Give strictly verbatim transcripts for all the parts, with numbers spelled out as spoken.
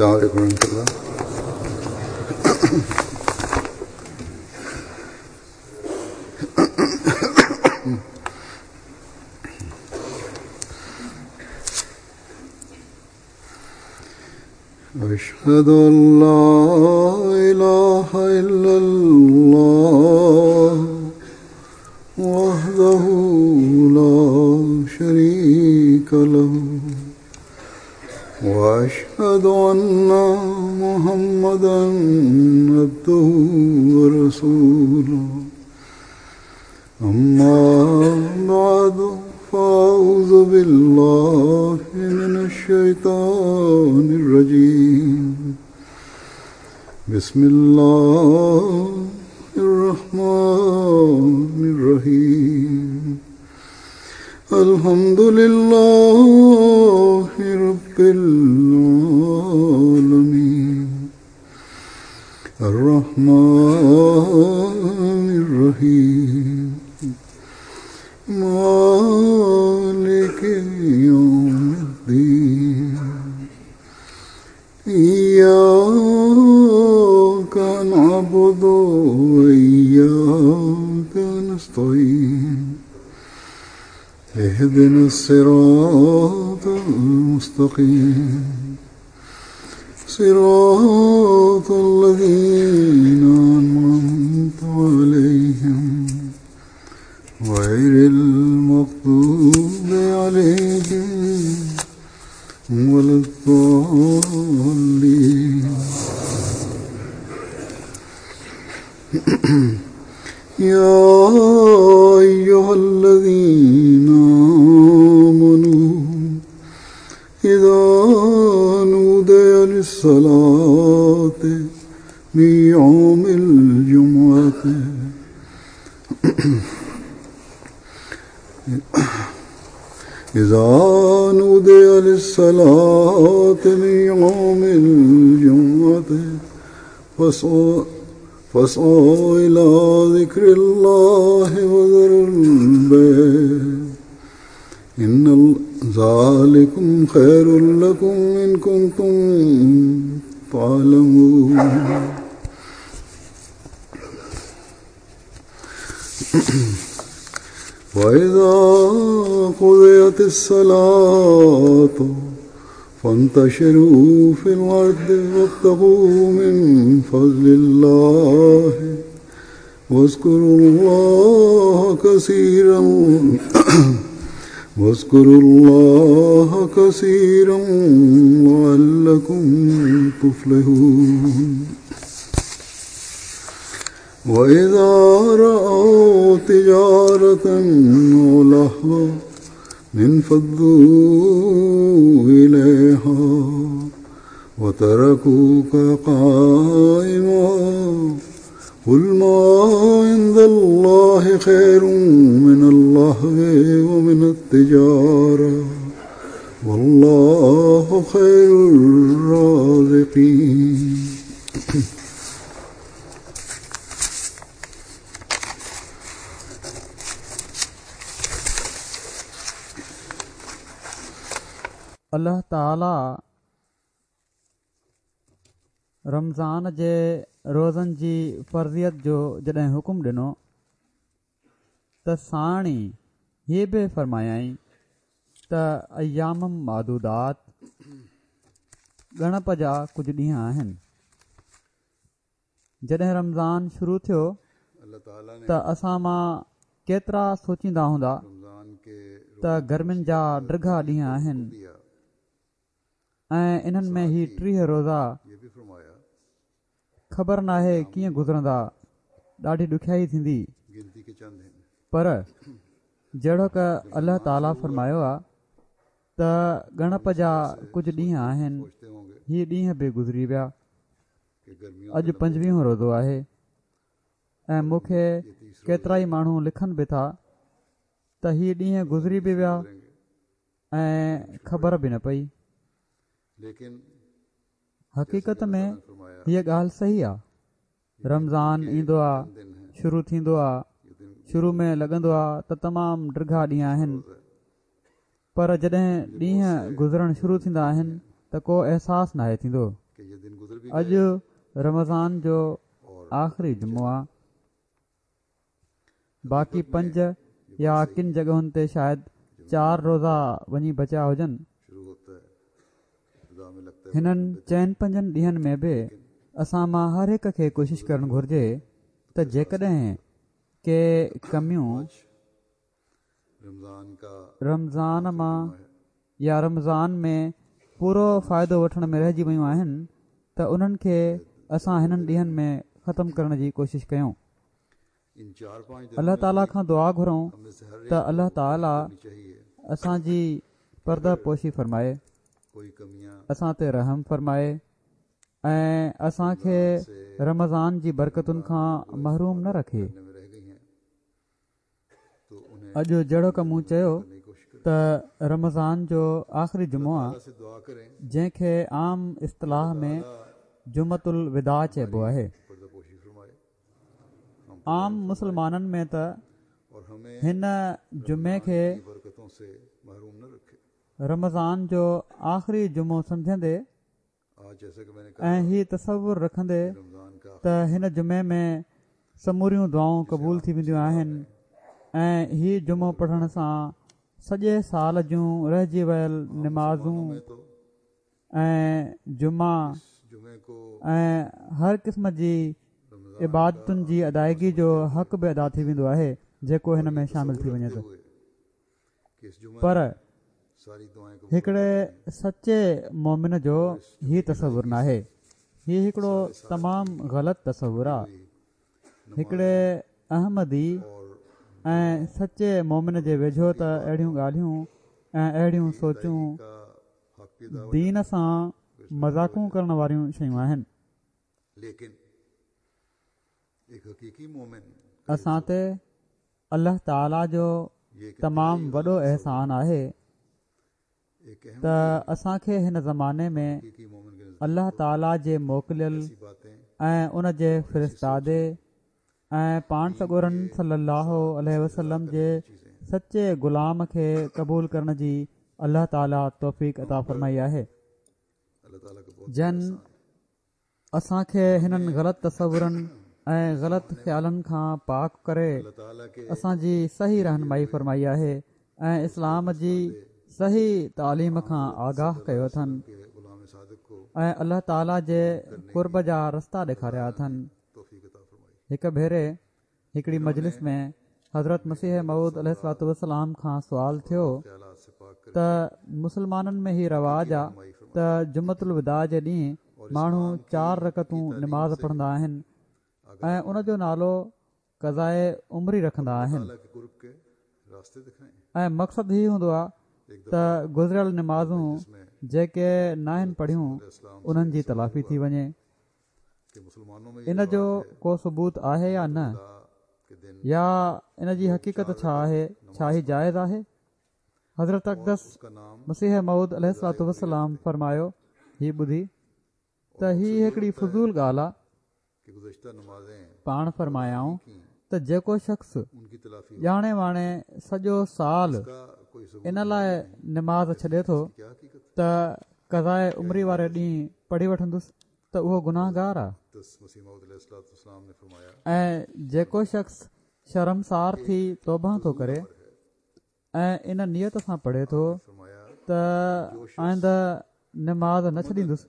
السلام عليكم ورحمة الله. أشهد أن لا إله إلا الله وحده لا شريك له وأشهد أن محمدا عبده ورسوله. أما بعد فأعوذ بالله من الشيطان الرجيم. بسم الله الرحمن الرحيم. الحمد لله رب العالمين الرحمن الرحيم مالك يوم الدين. إياك نعبد وإياك نستعين. اهدنا الصراط المستقيم صراط الذين أنعمت عليهم غير المغضوب عليهم ولا الضالين. يا أيها الذين آمنوا إذا نودي للصلاة من يوم الجمعة إذا نودي للصلاة من يوم الجمعة فاسعوا فاسعوا إلى ذكر الله وذروا البيع إن ذلكم خير لكم إن كنتم تعلمون. وإذا قضيت الصلاة فانتشروا في الأرض وابتغوا من فضل الله واذكروا الله كثيرا واذكروا الله كثيرا لعلكم تفلحون. وإذا رأوا تجارة أو لهوا انفضوا إليها وتركوك قائما. قل ما عند الله خير من اللهو ومن التجارة والله خير الرازقين. الله تعاليٰ رمضان جي روزن جي فرضيت جو جڏهن حڪم ڏنو ته ساڻ ئي هي به فرمايائين ته ايام معدودات ڳڻپ جا ڪجهه ڏينهن آهن. جڏهن رمضان شروع ٿيو ته اسان مان ڪيترا سوچيندا هوندا ته گرمين جا ڊگها ڏينهن آهن ۽ انهن ۾ هي ٽيهه روزا خبر ناهي ڪيئن گذرندا، ڏاڍي ڏکيائي ٿيندي. پر جهڙوڪ الله تعاليٰ فرمايو آهي ته ڳڻپ جا ڪجهه ڏينهن آهن، هي ڏينهن به گذري ويا. اڄ پنجويهون روزو آهي ۽ مون کي ڪيترا ئي ماڻهو لکن به ٿا ته هي ڏينهن گذري به ويا ۽ خبر به نه پئي. حقيقت ۾ هيءَ ڳالهه صحيح آهي. رمضان ايندو آهي، شروع ٿيندو آهي، شروع ۾ لڳندو آهي ته تمام ڊگها ڏينهن آهن، پر جڏهن ڏينهن گذرڻ شروع ٿيندا آهن ته ڪو احساس ناهي ٿيندو. اڄ رمضان جو آخري جمعو آ. باقي پنج يا ڪن جڳهن تي شايد چار روزا وڃي بچيا هجن. هنن چئن پنجن ڏينهن ۾ به اسان مان هر هڪ کي ڪوشش ڪرڻ گهرجي ته جيڪڏهن ڪي ڪميون رمضان مان يا رمضان ۾ پورو فائدو وٺڻ ۾ رهجي ويون آهن ته انهن کي اسان هنن ڏينهن ۾ ختم ڪرڻ جي ڪوشش ڪيون. الله تعاليٰ کان دعا گهرون ته الله تعاليٰ اسان جي پرده پوشي فرمائي، اسان تي رحم فرمائي ۽ اسان کي رمضان جي برڪتن کان محروم نه رکي. اڄ جهڙوڪ مون چيو ته رمضان جو آخري جمعو آ، جنهن کي عام اصطلاح ۾ جمعة الوداع چئبو آهي. عام مسلمانن ۾ ته هن جمعي کي رمضان جو آخري جمعو سمجهندي ۽ هي تصور رکندي ته هن جمعي ۾ سموريون دعائون قبول ٿي وينديون آهن ۽ هي جمعو پڙهڻ سان سڄي سال جون رهجي ويل نمازون ۽ جمعا ۽ هر قسم جي عبادتن جي ادائگي جو حق به ادا ٿي ويندو آهي جيڪو هن ۾ شامل ٿي وڃي ٿو. پر هڪڙي سچي مومن جو هي تصور ناهي. هي هڪڙو تمام غلط تصور آهي. هڪڙي احمدي ۽ سچي مومن جي ويجهو ته اهڙيون ڳالهيون ۽ اهڙيون سوچون دين سان مذاقون ڪرڻ واريون شيون آهن. اسان تي الله تعاليٰ جو تمام وڏو احسان آهي ته اسان کي هن زماني ۾ الله تعاليٰ جي موڪليل ۽ ان جي فرستادي ۽ پاڻ سڳورن صلي الله عليه وسلم جي سچي غلام کي قبول ڪرڻ جي الله تعاليٰ توفيق عطا فرمائي آهي، جن اسان کي هنن غلط تصورن ۽ غلط خيالن کان پاڪ ڪري اسان جي صحيح رهنمائي فرمائي آهي ۽ اسلام جي صحيح تعليم کان آگاهه ڪيو اٿن ۽ الله تعاليٰ جي قرب جا رستا ڏيکاريا اٿن. هڪ ڀيري هڪڙي مجلس ۾ حضرت مسيح موعود عليه الصلوة والسلام کان سوال ٿيو ته مسلمانن ۾ هي رواج آ ته جمعة الوداع جي ڏينهن ماڻهو چار رڪعتون نماز پڙهندا آهن ۽ ان جو نالو قضاءِ عمري رکندا آهن ۽ مقصد هي هوندو آ ته گذريل نمازون جيڪي ناهن پڙهيون انهن جي تلافي ٿي وڃي. ان جو ڪو ثبوت آهي يا نه، يا ان جي حقيقت ڇا آهي؟ ڇا هي جائز آهي؟ حضرت اقدس مسيح موعود عليه الصلوة والسلام فرمايو هي ٻڌي ته هي هڪڙي فضول ڳالهه آ. پاڻ فرمايائون ته جيڪو شخص ڄاڻي واڻي سڄو سال ان لاءِ نماز ڇڏي ٿو ته قضاءِ عمري واري ڏينهن پڙهي وٺندس ته اهو گناهگار آ، ۽ جيڪو شخص شرمسار ٿي توبه ٿو ڪري ۽ ان نيت سان پڙهي ٿو ته آئنده نماز نه ڇڏيندس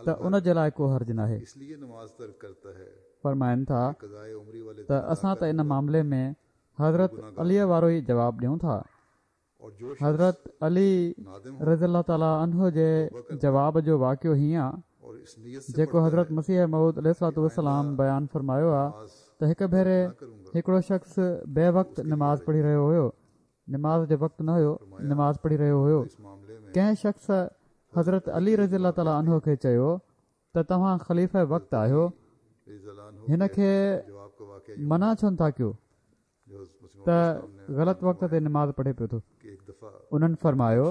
ته ان جي لاءِ ڪو حرج ناهي. فرمائن ٿا ته اسان ته ان معاملي ۾ حضرت علي وارو ئي جواب ڏيون ٿا. حضرت علي رضي الله تعاليٰ عنه جي جواب جو واقعو هيئن آ جيڪو حضرت مسيح موعود عليه الصلوة والسلام بيان فرمايو آ ته هڪ ڀيري هڪڙو شخص بي وقت نماز پڙهي رهيو هيو، نماز جو وقت نه هيو، نماز پڙهي رهيو هيو. ڪنهن شخص حضرت علي رضي الله تعاليٰ عنه کي چيو ته توهان خليفه وقت آهيو، هن کي منع ڇو نٿا ڪيو ته غلط وقت تي نماز پڙهي پيو ٿو؟ انهن فرمايو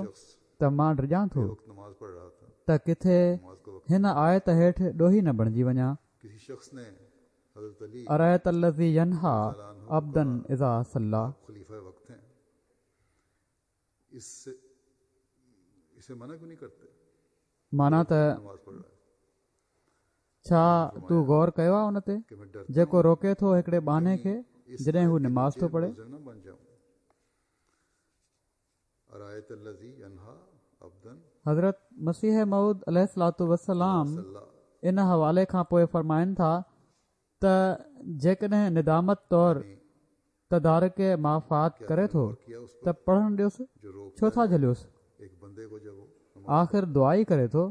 ته مان ڊڄان ٿو ته ڪٿي هن آيت هيٺ ڏوهي نه بڻجي وڃان، ارأيت الذي ينهيٰ عبدا اذا صليٰ. معنيٰ ته ڇا تو غور ڪيو آهي ان تي جيڪو روڪي ٿو هڪڙي ٻانهي کي جڏهن هو نماز ٿو پڙهي؟ حضرت مسيح موعود عليه الصلوة والسلام ان حوالي کان پوءِ فرمائن ٿا ته جيڪڏهن ندامت طور تدارڪ مافات ڪري ٿو ته پڙهڻ ڏيوس، ڇو ٿا جهليوس؟ آخر دعا ئي ڪري ٿو.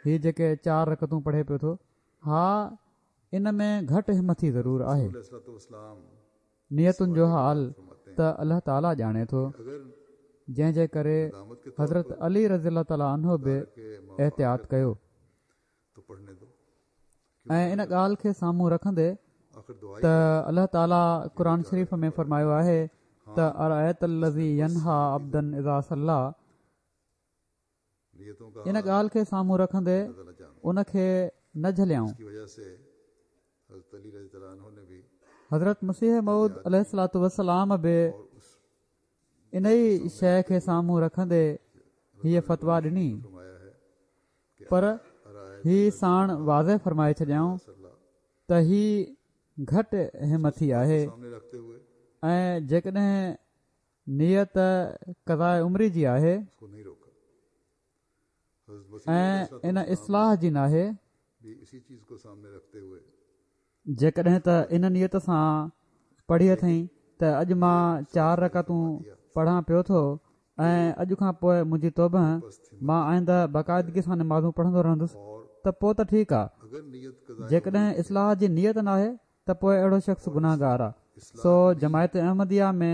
هي جيڪي چار رڪعتون پڙهي پيو ٿو، ها ان ۾ گهٽ همٿي ضرور آهي. نيتن جو حال ته الله تعاليٰ ڄاڻي ٿو، جنهن جي ڪري حضرت علي رضي الله تعاليٰ عنه به احتياط ڪيو ۽ ان ڳالهه کي سامهون رکندي ته الله تعاليٰ قرآن شريف ۾ فرمايو آهي ته ارأيت الذي ينهيٰ عبدا اذا صليٰ، ان ڳالهه کي سامهون رکندي ان کي نه جهليائون. حضرت مسيح موعود عليه الصلوة والسلام به ان ئي شيءِ کي سامهون رکندي هيءَ فتويٰ ڏني، پر هي ساڻ واضح فرمائي ڇڏيائون ته هي گهٽ همٿي آهي ۽ جيڪڏهن نيت قضاءِ عمري جي آهي ۽ ان اصلاح جي ناهي، جيڪڏهن ته ان نيت سان پڙهي اٿئي ته اڄ مان چار رڪعتون پڙهان پيو ٿو ۽ اڄ کان پوءِ منهنجي توبه، مان آئنده باقاعدگي سان نمازون پڙهندو رهندس، ته پوءِ ته ٺيڪ آهي. جيڪڏهن اصلاح جي نيت ناهي ته پوءِ اهڙو شخص گناهگار آهي. سو جماعت احمديه ۾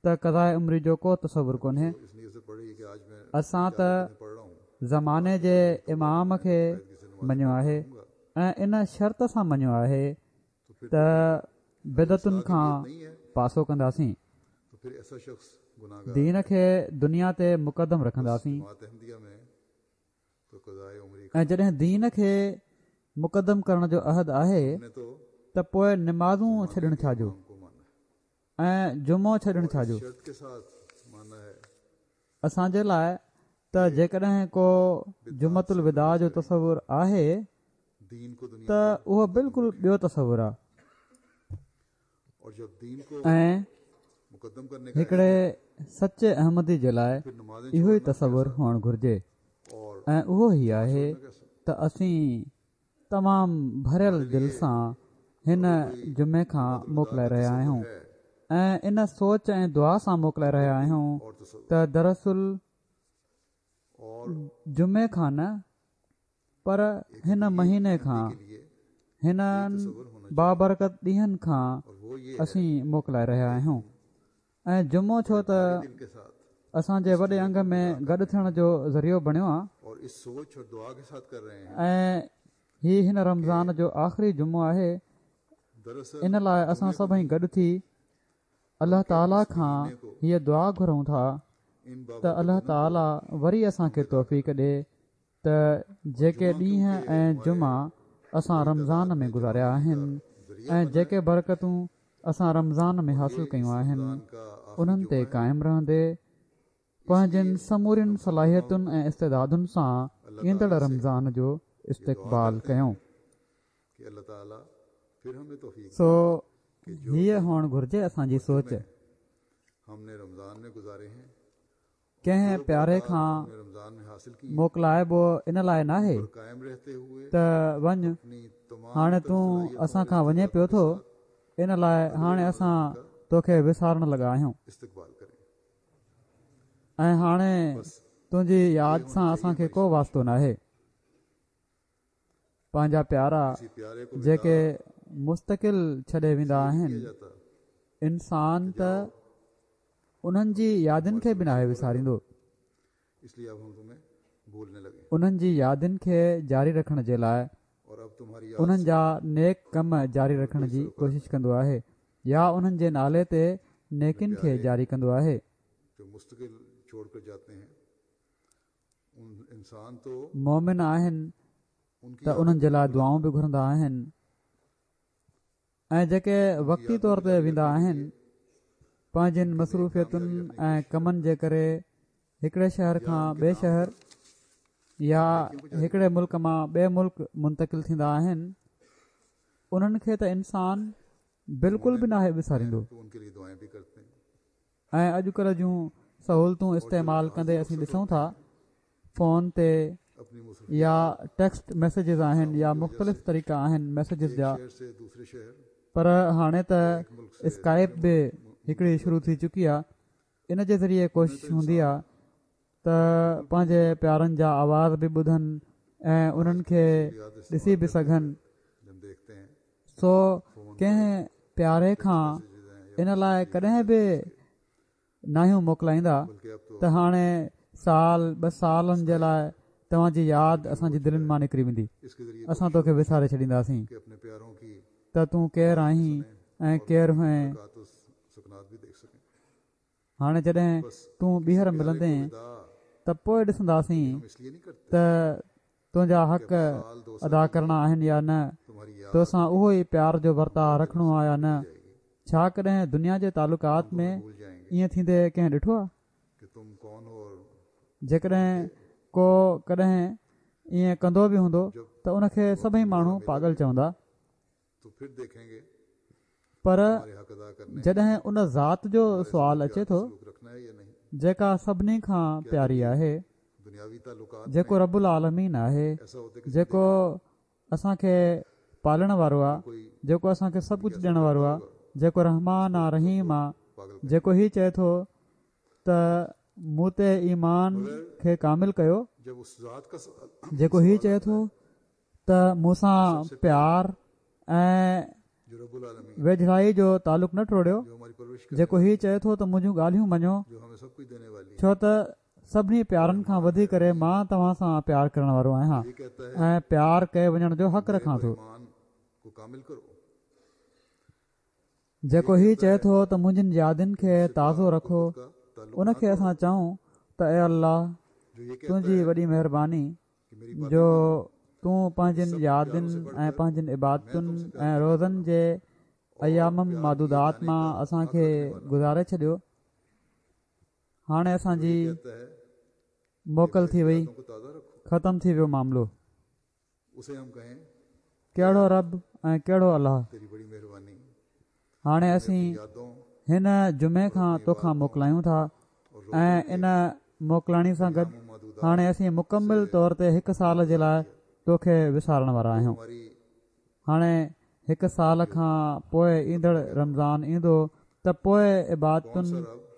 ته قضاءِ عمري جو ڪو تصور ڪونهي. اسان ته زماني جي امام کي مڃيو آهي ۽ ان شرط سان مڃيو آهي ته بدعتن کان پاسو ڪنداسين، دين کي دنيا تي مقدم رکنداسين. ۽ جڏهن دين کي مقدم ڪرڻ جو عهد آهي ته پوءِ نمازون ڇڏڻ ڇا جو ۽ جمعو ڇڏڻ ڇا جو؟ اسان جي لاءِ ته جيڪڏهن ڪو جمعة الوداع جو تصور آهي ته اهو بلڪل ٻيو تصور آهي ۽ هڪڙي سچي احمدي جي لاءِ اهو ئي تصور هئڻ گهرجي ۽ اهو ئي آهي ته اسين تمام ڀريل دل سان هن جمعي کان موڪلائي رهيا آهيون ۽ ان سوچ ۽ دعا سان موڪلائي رهيا آهيون ته دراصل جمعي کان نه پر هن مهيني کان، هنن بابرڪت ڏينهن کان اسين موڪلائي رهيا آهيون. ۽ جمعو ڇو ته اسان جي وڏي انگ ۾ گڏ ٿيڻ جو ذريعو بڻيو آهي ۽ هي هن رمضان جو آخري جمعو آهي، ان لاءِ اسان سڀئي گڏ ٿي الله تعاليٰ کان هيءَ دعا گهرون ٿا ته الله تعاليٰ وري اسان کي توفيق ڏي ته جيڪي ڏينهن ۽ جمعا اسان رمضان ۾ گذاريا آهن ۽ جيڪي برڪتون اسان رمضان ۾ حاصل ڪيون آهن انهن تي قائم رهندي پنهنجن سمورين صلاحيتن ۽ استعدادن سان ايندڙ رمضان جو استقبال ڪيون. سو هيءَ هئڻ گهرجي اسان جي سوچ. ڪنهن پياري کان موڪلائبو ان لاءِ ناهي ته وڃ هاڻي تون اسان کان وڃي پيو ٿو، ان لاءِ هاڻي اسان توکي وسارڻ لڳا آهيون ۽ هاڻي تنهنجي ياد سان اسان کي ڪو واسطو ناهي. پنهنجا پيارا جيڪي مستقل ڇڏي ويندا آهن، انسان ته انهن جي يادن کي به ناهي وساريندو. انهن جي يادن کي جاري رکڻ جي لاءِ انهن جا نيڪ ڪم جاري رکڻ جي ڪوشش ڪندو آهي يا انهن جي نالي تي نيڪين کي جاري ڪندو آهي. مومن آهن ته انهن جي لاءِ دعائون به گهرندا آهن ۽ جيڪي وقتي طور تي ويندا آهن پنهنجن مصروفيتن ۽ ڪمن جي ڪري هڪڙي شهر کان ٻئي شهر، يا هڪڙي ملڪ مان ٻئي ملڪ منتقل ٿيندا آهن، انهن کي ته انسان بلڪل به ناهي وساريندو. ۽ اڄڪلهه جون سهولتون استعمال ڪندي اسين ڏسون ٿا فون تي يا ٽيڪسٽ ميسيجز آهن يا مختلف طريقا آهن ميسيجز جا، پر هاڻي ته اسڪائپ به هڪڙي شروع ٿي چڪي آهي. ان جي ذريعي ڪوشش هوندي آهي ته پنهنجي پيارن جا آواز به ٻڌن ۽ انهن کي ڏسي به سگهن. سو ڪنهن پياري کان ان لاءِ ڪڏهن به ناهيون موڪلائيندا ته هاڻي سال ٻه سالن جي لاءِ توهان جي ياد اسان جي دلين مان نڪري ويندي، اسان توکي وساري ڇڏينداسين ته تون ڪير آهين ۽ ڪير هئين. هاڻي جڏهن تون ٻيهر ملندين ته پوءِ ڏسنداسين ته تنهنجا حق ادا ڪرڻا آهن يا نه، توسان اهو ئي پيار جو ورتاءُ رکڻو آهي يا نه. ڇا ڪڏهن دنيا جي تعلقات ۾ ائين ٿيندي ڪنهن ڏٺو آهي؟ جيڪڏهن ڪو ڪڏهن ائين ڪندو به هوندو ته ان کي سڀئي ماڻهو پاڳل چوندا. پر جڏهن ان ذات جو سوال اچي ٿو جيڪا سڀني کان پياري آهي، جيڪو رب العالمين آهي، جيڪو اسان کي پالڻ وارو آهي، جيڪو اسان کي سڀ ڪجهه ڏيڻ وارو آهي، جيڪو رحمان آهي رحيم آهي، جيڪو هي چئي ٿو ته مون تي ايمان کي ڪامل ڪيو، جيڪو هي چئي ٿو ته مون سان پيار ۽ ويجهڙائي جو تعلق نه ٽوڙيو، جيڪو هي چئي ٿو ته منهنجون ڳالهيون مڃو، ڇو ته سڀني پيارن کان وڌي ڪري مان توهان سان پيار ڪرڻ وارو آهيان ۽ پيار ڪئي وڃڻ جو حق رکان ٿو. جيڪو هي چئي ٿو ته منهنجين يادن کي تازو رکو، ان کي اسان چئون ته اي الله تنهنجي وڏي مهرباني جو تون پنهنجين يادن ۽ پنهنجين عبادتن ۽ روزن جي ايام معدودات مان اسان کي گذاري ڇڏيو. هاڻي اسان جي موڪل ٿي وئي، ختم ٿي ويو معاملو. ڪهڙو رب ۽ ڪهڙو الله. هاڻي اسين هن جمعي کان توکان موڪلايون ٿا ۽ ان موڪلاڻي سان گڏ هاڻي اسين مڪمل طور تي هڪ سال جي لاءِ توکي وسارڻ وارا آهيون. هاڻي هڪ سال کان پوءِ ايندڙ رمضان ايندو ته پوءِ عبادتن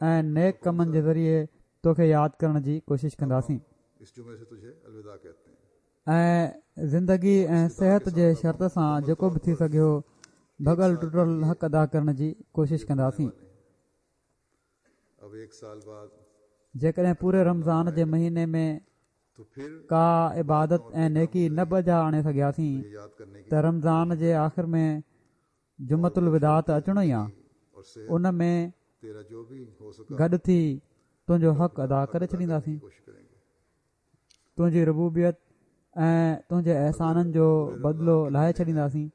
۽ نيڪ ڪمن جي ذريعي توکي ياد ڪرڻ جي ڪوشش ڪنداسين ۽ زندگي ۽ صحت جي شرط سان جيڪو به ٿي سگهيو ڀڳل ٽٽل حق ادا ڪرڻ جي ڪوشش ڪنداسين. جيڪڏهن پوري رمضان جي مهيني ۾ ڪا عبادت ۽ نيڪي نه بجا آڻي سگهياسين ته رمضان جي آخر ۾ جمعة الوداع ته اچڻو ئي آهي، ان ۾ گڏ ٿي تنهنجو حق ادا ڪري ڇڏينداسين. تنهنجي ربوبيت ۽ تنهنجي احسانن جو بدلو لاهي ڇڏينداسين.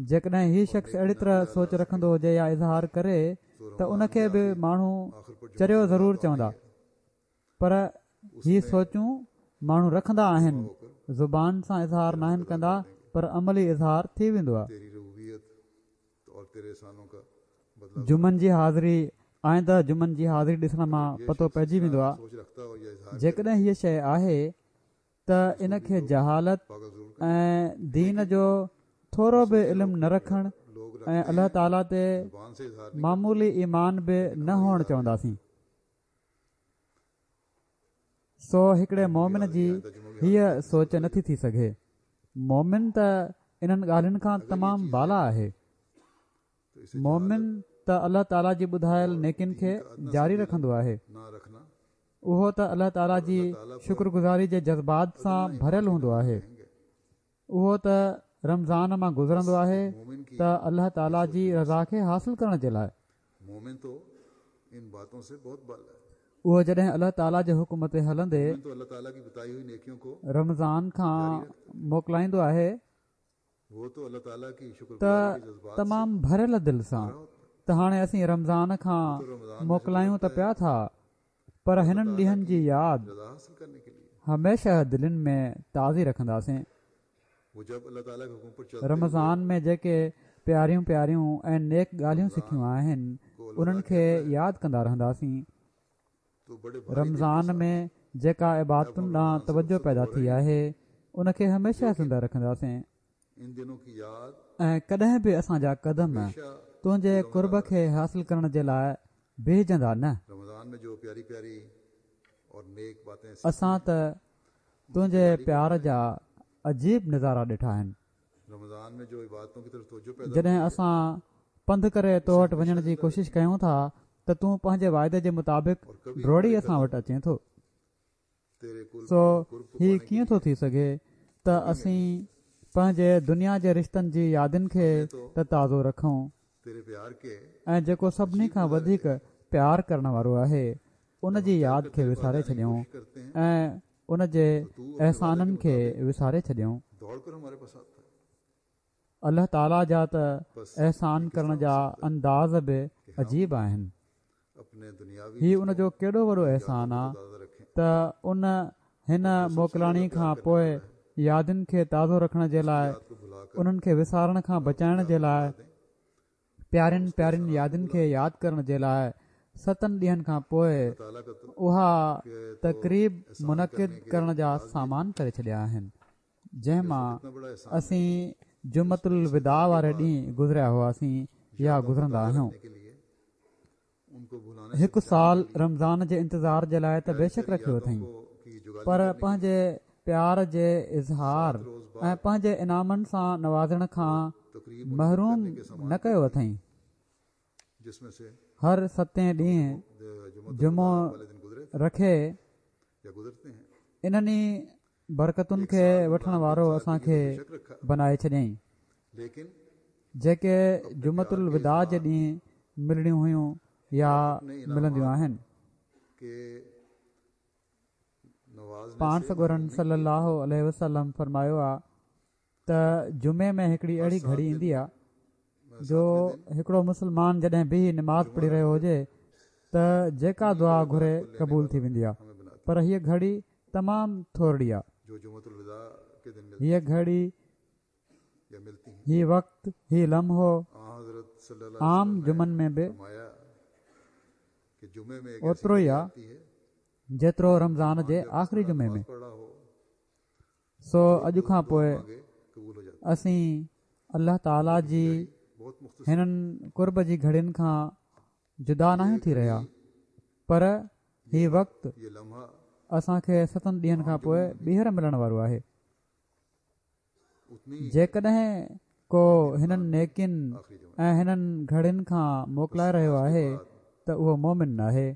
جيڪڏهن هي شخص اهڙي طرح سوچ رکندو هجي يا اظهار ڪري ته ان کي به ماڻهو چريو ضرور چوندا، پر هي سوچون ماڻهو رکندا آهن، زبان سان اظهار ناهن ڪندا، پر عملي اظهار ٿي ويندو آهي. جمعن جي حاضري آئنده جمعن جي حاضري ڏسڻ مان پتو پئجي ويندو آهي. جيڪڏهن هيءَ شيءِ آهي ته ان کي جهالت ۽ دين جو ٿورو به علم نه رکڻ ۽ الله تعاليٰ تي معمولي ايمان به نه هئڻ چونداسين. سو هڪڙي مومن جي هيءَ سوچ نٿي ٿي سگهي. مومن ته انهن ڳالهين کان تمام بالا آهي. مومن ته الله تعاليٰ جي ٻڌايل نيڪين کي جاري رکندو آهي. اهو ته الله تعاليٰ جي شڪرگذاري جي جذبات سان ڀريل هوندو آهي. اهو ته رمضان مان گذرندو آهي ته الله تعاليٰ جي رضا کي حاصل ڪرڻ جي لاءِ. اهو جڏهن الله تعاليٰ جي حڪم تي هلندي رمضان کان موڪلائيندو آهي ته تمام ڀريل دل سان ته هاڻي اسين رمضان کان موڪلايون ته پيا ٿا، پر هنن ڏينهن جي ياد هميشه دلين ۾ تازي رکنداسين. رمضان ۾ جيڪي پياريون پياريون ۽ نيڪ ڳالهيون سکيون آهن انهن کي ياد ڪندا رهنداسين. رمضان ۾ جيڪا عبادتن ڏانهن توجه پيدا ٿي آهي ان کي هميشه زنده رکنداسين ۽ ڪڏهن به اسان جا قدم تنهنجي قرب کي حاصل ڪرڻ جي لاءِ بيهجندا نه. اسان ته تنهنجي پيار جا عجيب نظارا ڏٺا آهن. جڏهن اسان پنڌ ڪري تو وٽ وڃڻ جي ڪوشش ڪيون ٿا ته تون پنهنجي واعدي جي مطابق ڊوڙي اسان وٽ اچين ٿو. سو هي ڪيئن ٿو ٿي سگهي ته اسين پنهنجي دنيا جي رشتن جي يادن کي ته تازو رکون ۽ جيڪو سڀني کان وڌيڪ پيار ڪرڻ وارو آهي ان جي ياد کي وساري ڇڏيون ۽ ان جي احسانن کي وساري ڇڏيون. الله تعاليٰ جا ته احسان ڪرڻ جا انداز به عجيب آهن. هي ان جو ڪيڏو وڏو احسان آهي ته ان هن موڪلاڻي کان پوءِ يادن کي تازو رکڻ جي لاءِ، انهن کي وسارڻ کان بچائڻ جي لاءِ، پيارين پيارين يادن کي ياد ڪرڻ جي لاءِ ستن ڏينهن کان پوءِ اها تقريب منعقد ڪرڻ جا سامان ڪري ڇڏيا آهن، جنهن مان اسين جمعة الوداع واري ڏينهن گذريا هئاسين يا گذرندا آهيون. هڪ سال رمضان جي انتظار جي لاءِ ته بيشڪ رکيو اٿئي، پر پنهنجي پيار جي اظهار ۽ پنهنجي انعامن سان نوازڻ کان محروم نه ڪيو اٿئي. هر ستين ڏينهن جمعو رکي انهن ئي برڪتن کي وٺڻ وارو اسان کي بنائي ڇڏيائين، جيڪي جمعة الوداع جي ڏينهن ملڻيون هيون يا ملنديون آهن. پاڻ سڳورن صلي الله عليه وسلم فرمايو آهي ته جمعي ۾ هڪڙي اهڙي گهڙي ايندي آهي جو هڪڙو مسلمان جڏهن بيهي نماز پڙهي رهيو هجي ته جيڪا دعا گهري قبول ٿي ويندي آهي، پر هيءَ گهڙي تمام ٿورڙي آهي. هيءَ گهڙي، هي وقت، هي لمحو عام جمعن ۾ به اوترو ئي آهي جيترو رمضان جي آخري جمعي ۾. سو اڄ کان پوءِ اسين الله تعاليٰ جي هنن قرب جي گهڙين کان جدا ناهيون ٿي رهيا، پر هي وقت اسان کي ستن ڏينهن کان پوءِ ٻيهر ملڻ وارو آهي. جيڪڏهن ڪو هنن نيڪين ۽ هنن گهڙين کان موڪلائي رهيو آهي ته اهو مومن ناهي.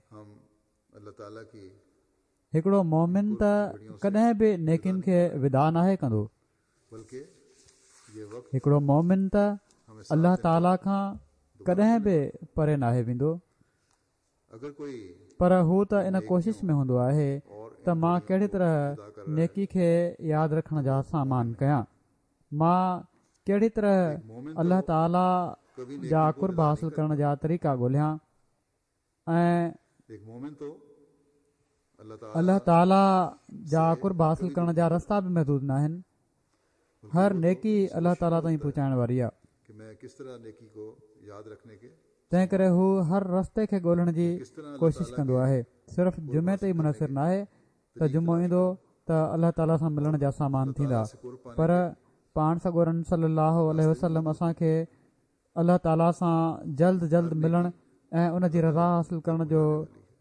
هڪڙو مومن ته ڪڏهن به نيڪين کي وداع ناهي ڪندو. هڪڙو مومن ته الله تعاليٰ کان ڪڏهن به پري ناهي ويندو، پر هو ته ان ڪوشش ۾ هوندو آهي ته مان ڪهڙي طرح نيڪي کي ياد رکڻ جا سامان ڪيان، مان ڪهڙي طرح الله تعاليٰ جا قرب حاصل ڪرڻ جا طريقا ڳولهيان ۽ الله تعاليٰ جا قرب حاصل ڪرڻ جا رستا به محدود نه آهن. هر نيڪي الله تعاليٰ تائين پهچائڻ واري آهي، تنهن ڪري هو هر رستي کي ڳولهڻ جي ڪوشش ڪندو آهي. صرف جمعي تي ئي منحصر نه آهي ته جمعو ايندو ته الله تعاليٰ سان ملڻ جا سامان ٿيندا، پر پاڻ سڳورن صلي الله عليه وسلم اسان کي الله تعاليٰ سان جلد جلد ملڻ ۽ ان جي رضا حاصل ڪرڻ جو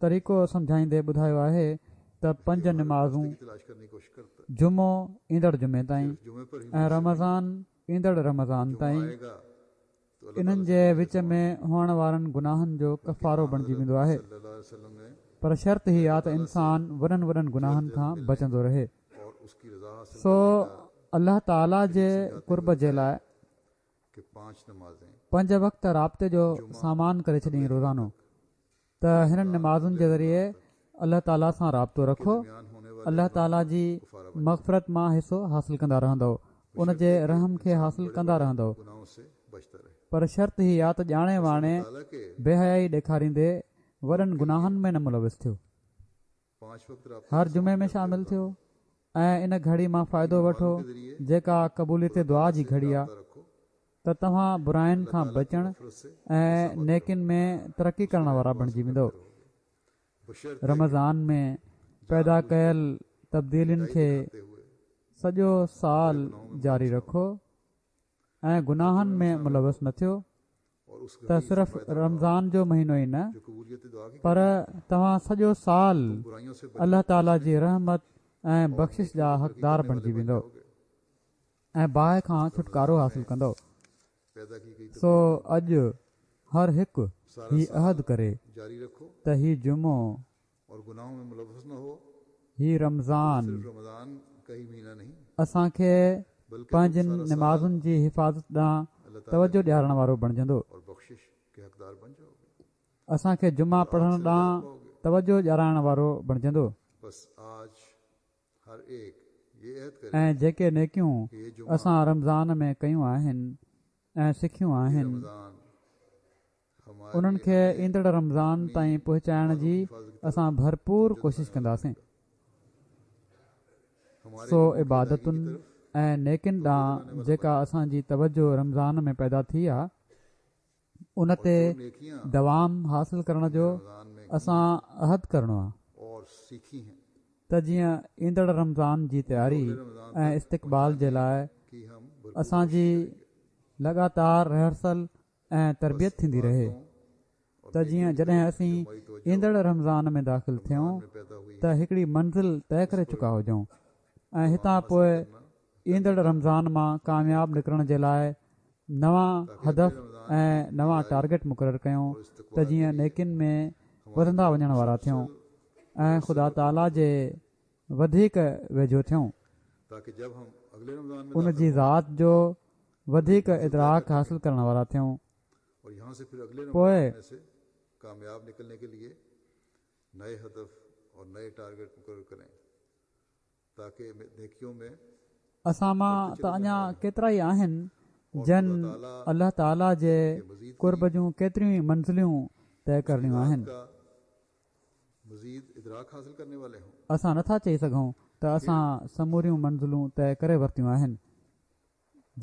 طريقو سمجهائيندي ٻڌايو آهي ته پنج نمازون، جمعو ايندڙ جمعي تائين ۽ رمضان ايندڙ رمضان تائين، انهن جي وچ ۾ هئڻ وارن گناهن جو ڪفارو بڻجي ويندو آهي. پر شرط هي آهي ته انسان وڏن وڏن گناهن کان بچندو رهي. سو الله تعاليٰ جي قرب جي لاءِ پنج وقت رابطي جو سامان ڪري ڇڏيائين روزانو، ته هنن نمازن جي ذريعي الله تعاليٰ سان رابطو رکو، الله تعاليٰ جي مغفرت مان حصو حاصل ڪندا رهندؤ، ان جي رحم کي حاصل ڪندا رهندؤ. پر شرط هي آهي ته ڄاڻي واڻي بي حيائي ڏيکاريندي وڏن گناهن ۾ نه ملوث ٿيو. هر جمعي ۾ شامل ٿيو، ۽ ان گهڙي مان فائدو وٺو جيڪا قبوليت دعا جي گهڙي آهي ته توهان براين کان بچڻ ۽ نيڪين ۾ ترقي ڪرڻ وارا بڻجي ويندؤ. رمضان ۾ پيدا ڪيل تبديلين کي سڄو سال جاري رکو ۽ گناهن ۾ ملوث نه ٿيو ته صرف رمضان جو مهينو ئي نه پر توهان سڄو سال الله تعاليٰ جي رحمت ۽ بخشش جا حقدار بڻجي ويندؤ ۽ باهه کان ڇوٽڪارو حاصل ڪندؤ. سو اڄ هر هڪ هي عهد ڪري ته هي جمعو، هي رمضان اسان کي پنهنجين نمازن جي حفاظت ڏانهن توجهه ڏيارڻ وارو بڻجندو. اسان کي جمعا پڙهڻ ڏانهن توجهه ڏيارائڻ وارو بڻجندو ۽ جيڪي نيڪيون اسان رمضان ۾ ڪيون آهن ۽ سکيون آهن انهن کي ايندڙ رمضان تائين پهچائڻ جي اسان ڀرپور ڪوشش ڪنداسين. سو عبادتن ۽ نيڪين ڏانهن جيڪا اسان جي توجهه رمضان ۾ پيدا ٿي آهي ان تي دوام حاصل ڪرڻ جو اسان عهد ڪرڻو آهي ته جيئن ايندڙ رمضان جي تياري ۽ استقبال جي لاءِ اسان جي لڳاتار ريهرسل ۽ تربيت ٿيندي رهي ته جيئن جڏهن اسين ايندڙ رمضان ۾ داخل ٿيون ته هڪڙي منزل طئي ڪري چڪا هجون ۽ هتان پوءِ ايندڙ رمضان مان ڪامياب نڪرڻ جي لاءِ نوان هدف ۽ نوان ٽارگيٽ مقرر ڪيون ته جيئن نيڪين ۾ وڌندا وڃڻ وارا ٿيون ۽ خدا تعاليٰ جي وڌيڪ ويجهو ٿيون، ان جي ذات جو وڌيڪ ادراڪ حاصل ڪرڻ وارا ٿيون. پوءِ اسان مان ته اڃا ڪيترا ئي آهن جن الله تعاليٰ جي قرب جون ڪيتريون ئي منزلون طئي ڪرڻيون آهن. اسان نٿا چئي سگهون ته اسان سموريون منزلون طئي ڪري ورتيون آهن.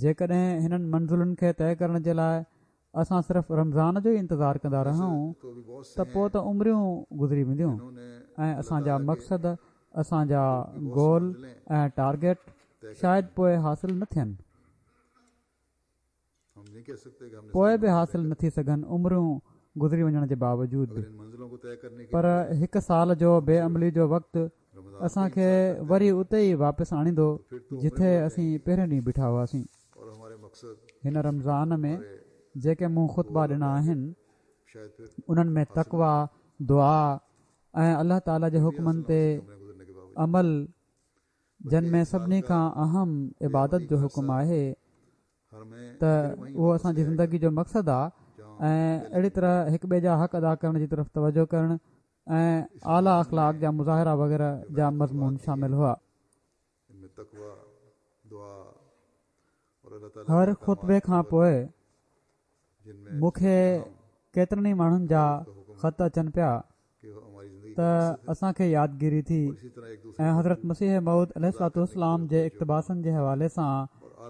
جيڪڏهن هنن منزلن کي طئي ڪرڻ جي لاءِ اسان صرف رمضان جو ئي انتظار ڪندا رهون ته پوءِ ته عمريون گذري وينديون ۽ اسان جا مقصد، اسان جا گول ۽ ٽارگيٽ شايد پوءِ حاصل نه ٿين، پوءِ به حاصل نه ٿي سگهن عمريون گذري وڃڻ جي باوجود به. پر هڪ سال جو بي عملي جو وقت اسان کي وري اتي ئي واپس آڻيندو جتي اسين پهرين ڏينهن بيٺا هئاسين. هن رمضان ۾ جيڪي مون خطبا ڏنا آهن انهن ۾ تقويٰ، دعا ۽ الله تعاليٰ جي حڪمن تي عمل، جن ۾ سڀني کان اهم عبادت جو حڪم آهي ته اهو اسان جي زندگي جو مقصد آهي، ۽ اهڙي طرح هڪ ٻئي جا حق ادا ڪرڻ جي طرف توجهه ڪرڻ ۽ اعليٰ اخلاق جا مظاهرا وغيره جا مضمون شامل هئا. هر خطبي کان پوءِ مون کي ڪيترن ئي ماڻهن جا خط اچن پيا ته اسان کي يادگيري ٿي ۽ حضرت مسيح موعود عليه الصلوة والسلام جي اقتباسن جي حوالي سان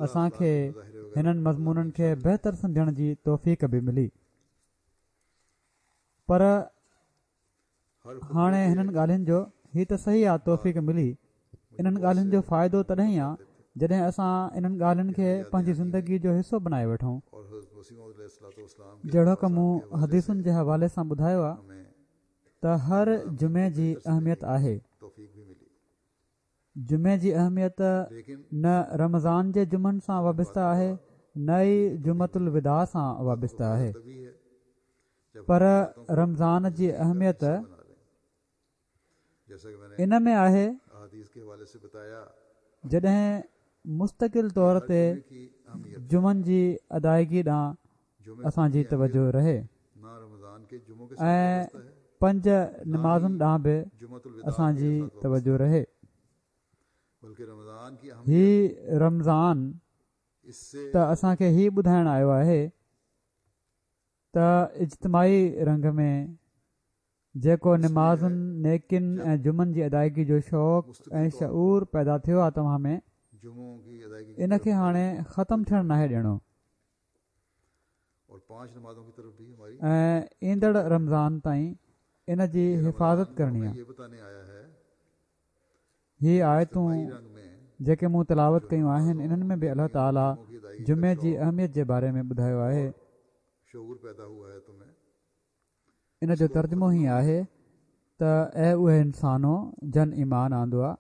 اسان کي هنن مضمونن کي بهتر سمجهڻ جي توفيق به ملي. پر هاڻي هنن ڳالهين جو هي ته صحيح آهي توفيق ملي، انهن ڳالهين جو فائدو تڏهن ئي آهي جڏهن اسان انهن ڳالهين کي پنهنجي زندگي جو حصو بڻائي وٺون. جهڙوڪ مون حديثن جي حوالي سان ٻڌايو آهي ته هر جمعي جي اهميت آهي. جمعي جي اهميت نه رمضان جي جمعن سان وابسته آهي نه ئي جمعة الوداع سان وابسته آهي، پر رمضان جي اهميت ان ۾ آهي جڏهن مستقل طور تي جمعن جي ادائگي ڏانهن اسان جي توجهه رهي ۽ پنج نمازن ڏانهن به اسان جي توجهه رهي. هي رمضان ته اسان کي هي ٻڌائڻ آيو آهي ته اجتماعي رنگ ۾ جيڪو نمازن، نيڪين ۽ جمعن جي ادائگي جو شوق ۽ شعور پيدا ٿيو آهي توهان ۾، ان کي هاڻي ختم ٿيڻ ناهي ڏيڻو ۽ ايندڙ رمضان تائين ان جي حفاظت ڪرڻي آهي. هي آيتون جيڪي مون تلاوت ڪيون آهن انهن ۾ به الله تعاليٰ جمعي جي اهميت جي باري ۾ ٻڌايو آهي. ان جو ترجمو هي آهي ته اي اهي انسانو جن ايمان آندو آهي،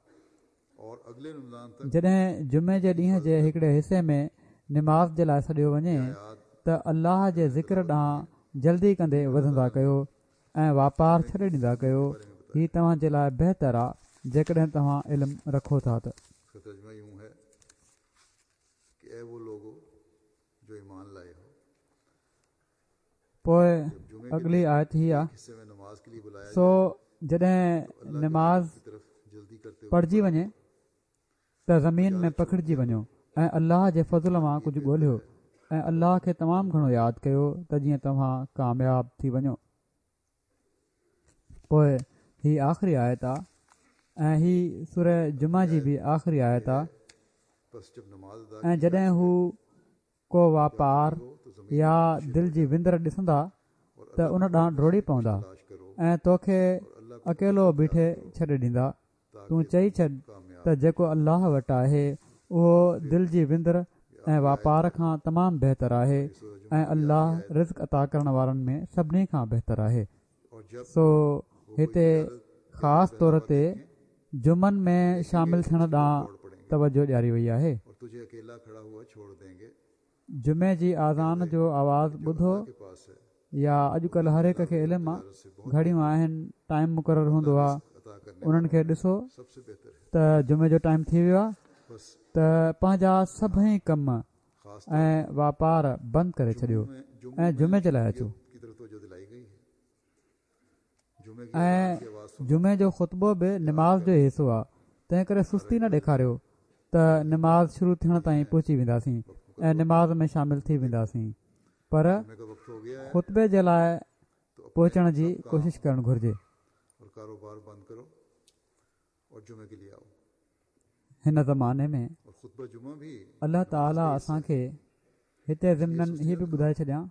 جڏهن جمعي جي ڏينهن جي هڪڙي حصي ۾ نماز جي لاءِ سڏيو وڃي ته الله جي ذڪر ڏانهن جلدي ڪندي وڌندا ڪيو ۽ واپار ڇڏي ڏيندا ڪيو. هي توهان جي لاءِ بهتر آهي جيڪڏهن توهان علم رکو ٿا ته. پوءِ اڳلي آيت هي آهي، سو جڏهن نماز پڙهجي وڃي ته زمين ۾ پکڙجي وڃو ۽ الله جي فضل مان ڪجهه ڳولهيو ۽ الله کي تمام گهڻو ياد ڪيو ته جيئن توهان ڪامياب ٿي وڃو. پوءِ هي آخري آيت آهي ۽ هي سوره جمعه جي به آخري آيت آهي. ۽ جڏهن هو ڪو واپار يا دل جي وندر ڏسندا ته ان ڏانهن ڊوڙي پوندا ۽ توکي اڪيلو بيٺي ڇڏي ڏيندا. تون چئي ڇڏ ته جيڪو الله وٽ آهي اهو دل جي وندر ۽ واپار کان تمام بهتر آهي ۽ الله رزق عطا ڪرڻ وارن ۾ سڀني کان بهتر آهي. سو هتي خاص طور تي جمعن ۾ شامل ٿيڻ ڏانهن توجهه ڏياري وئي آهي. جمعي جي آذان جو آواز ٻڌو يا اڄڪلهه هر هڪ کي علم آهي، گهڙيون آهن، ٽائيم مقرر هوندو آهي، انهن کي ڏسو ته جمعي جو ٽائيم ٿي ويو آهي ته پنهنجا سڀئي ڪم ۽ واپار بند ڪري ڇڏيو ۽ جمعي جي لاءِ اچو. ۽ جمعي جو خطبو به نماز جو ئي حصو آهي، تنهن ڪري سستي نه ڏيکاريو ته نماز شروع ٿيڻ تائين پهچي وينداسين ۽ نماز ۾ شامل ٿي وينداسين، پر خطبي جي لاءِ پهچڻ جي ڪوشش ڪرڻ گهرجي. هن زماني ۾ الله تعاليٰ اسان کي هتي ضمنن هي به ٻڌائي ڇڏيان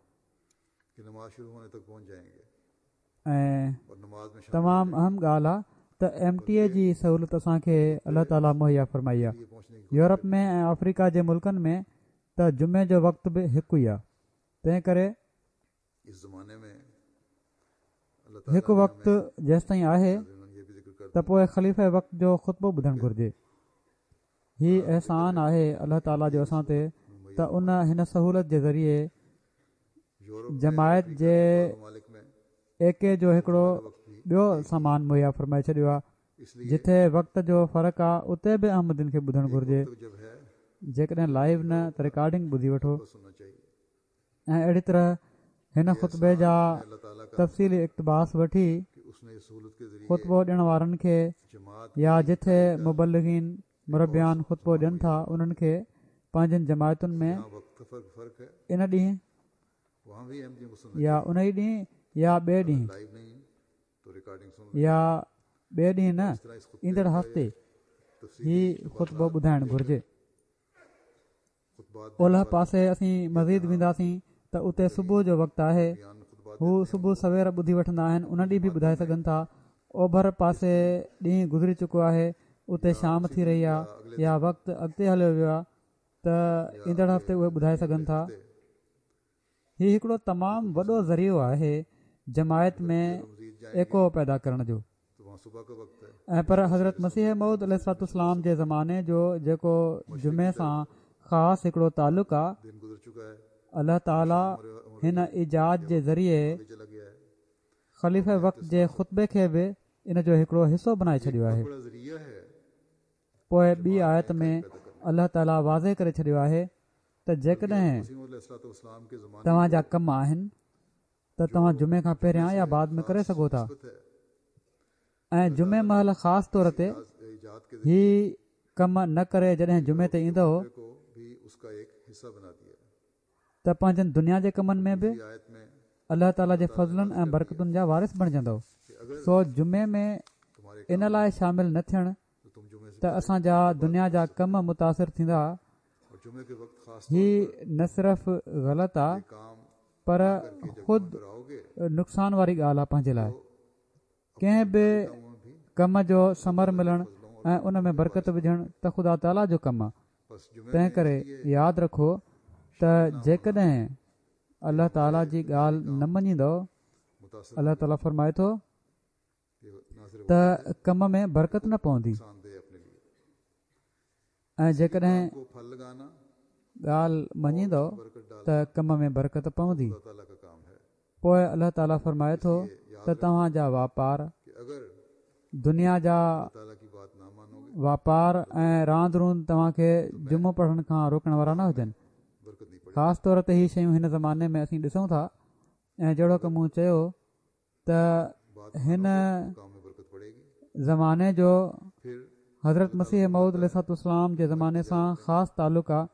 ۽ تمام اهم ڳالهه آهي ته ايم ٽي اي جي سهولت اسان کي الله تعاليٰ مهيا فرمائي آهي. يورپ ۾ ۽ آفريڪا جي ملڪن ۾ ته جمعي جو وقت به هڪ ئي آهي، تنهن ڪري هڪ وقت جيستائين آهي ته پوءِ خليفه وقت جو خطبو ٻڌڻ گهرجي. هي احسان آهي الله تعاليٰ جو اسان تي ته ان هن سهولت جي ذريعي جماعت جي ايڪي جو هڪڙو ٻيو سامان مهيا فرمائي ڇڏيو آهي. جتي وقت جو فرق آهي اتي به احمدين کي ٻڌڻ گهرجي. جيڪڏهن لائيو نه ته رڪارڊنگ ٻڌي وٺو. ۽ اهڙي طرح هن خطبي جا تفصيلي اقتباس وٺي خطبو ڏيڻ وارن کي يا جتي مبلغين مربيان خطبو ڏين ٿا انهن کي پنهنجن جماعتن ۾ ان ڏينهن يا ان ئي ڏينهن يا ٻئي ڏينهن يا ٻئي ڏينهن نه ايندڙ هفتي هي خطبو ٻڌائڻ گهرجي. اولهه پاسي اسين مزيد وينداسين ته اتي صبح جو وقت آهي، هو صبح سوير ٻڌي وٺندا آهن، ان ڏينهن به ٻڌائي سگهن ٿا. اوڀر پاسي ڏينهن گذري چڪو آهي، اتي شام ٿي رهي آهي يا وقت اڳتي هليو ويو آهي ته ايندڙ هفتي اهي ٻڌائي سگهن ٿا. هي هڪڙو تمام وڏو ذريعو آهي جماعت ۾ ايڪو پيدا ڪرڻ جو. ۽ پر حضرت مسيح موعود عليه الصلوة والسلام جي زماني جو جيڪو جمعي سان خاص هڪڙو تعلق آهي، الله تعاليٰ هن ايجاد جي ذريعي خليفه وقت جي خطبي کي به ان جو هڪڙو حصو بڻائي ڇڏيو آهي. پوءِ ٻي آيت ۾ الله تعاليٰ واضح ڪري ڇڏيو آهي ته جيڪڏهن توهان جا ڪم آهن ته توهان جمعي کان پهريان يا بعد ۾ ڪري سگهو ٿا ۽ جمعي مهل خاص طور تي هي ڪم نه ڪري جڏهن جمعي تي ايندو ته پنهنجن دنيا جي ڪمن ۾ به الله تعاليٰ جي فضلن ۽ برڪتن جا وارث بڻجندؤ. سو جمعي ۾ ان لاءِ شامل نه ٿيڻ ته اسان جا دنيا جا ڪم متاثر ٿيندا، هي نه صرف غلط آهي پر خود نقصان واري ڳالهه آهي پنهنجي لاءِ. ڪنهن به ڪم جو ثمر ملڻ ۽ ان ۾ برڪت وجهڻ ته خدا تعاليٰ جو ڪم آهي. تنهن ڪري ياد رکو ته جيڪڏهن الله تعاليٰ جي ڳالهه نه مڃيندؤ، الله تعاليٰ فرمائي ٿو ته ڪم ۾ برڪت نه پوندي. ۽ جيڪڏهن ڳالهه مڃيندؤ ته ڪم ۾ برڪت پوندي. پوءِ الله تعاليٰ فرمائي ٿو ته توهان جا واپار، دنيا جا واپار ۽ راند روند توهان کي جمعو پڙهڻ کان روڪڻ وارا نه هجن. خاص طور تي هي شيون هن زماني ۾ اسين ڏسون ٿا. ۽ جهڙوڪ مون چيو ته هن زماني جو حضرت مسيح موعود عليه الصلوة والسلام جي زماني سان خاص تعلق آهي.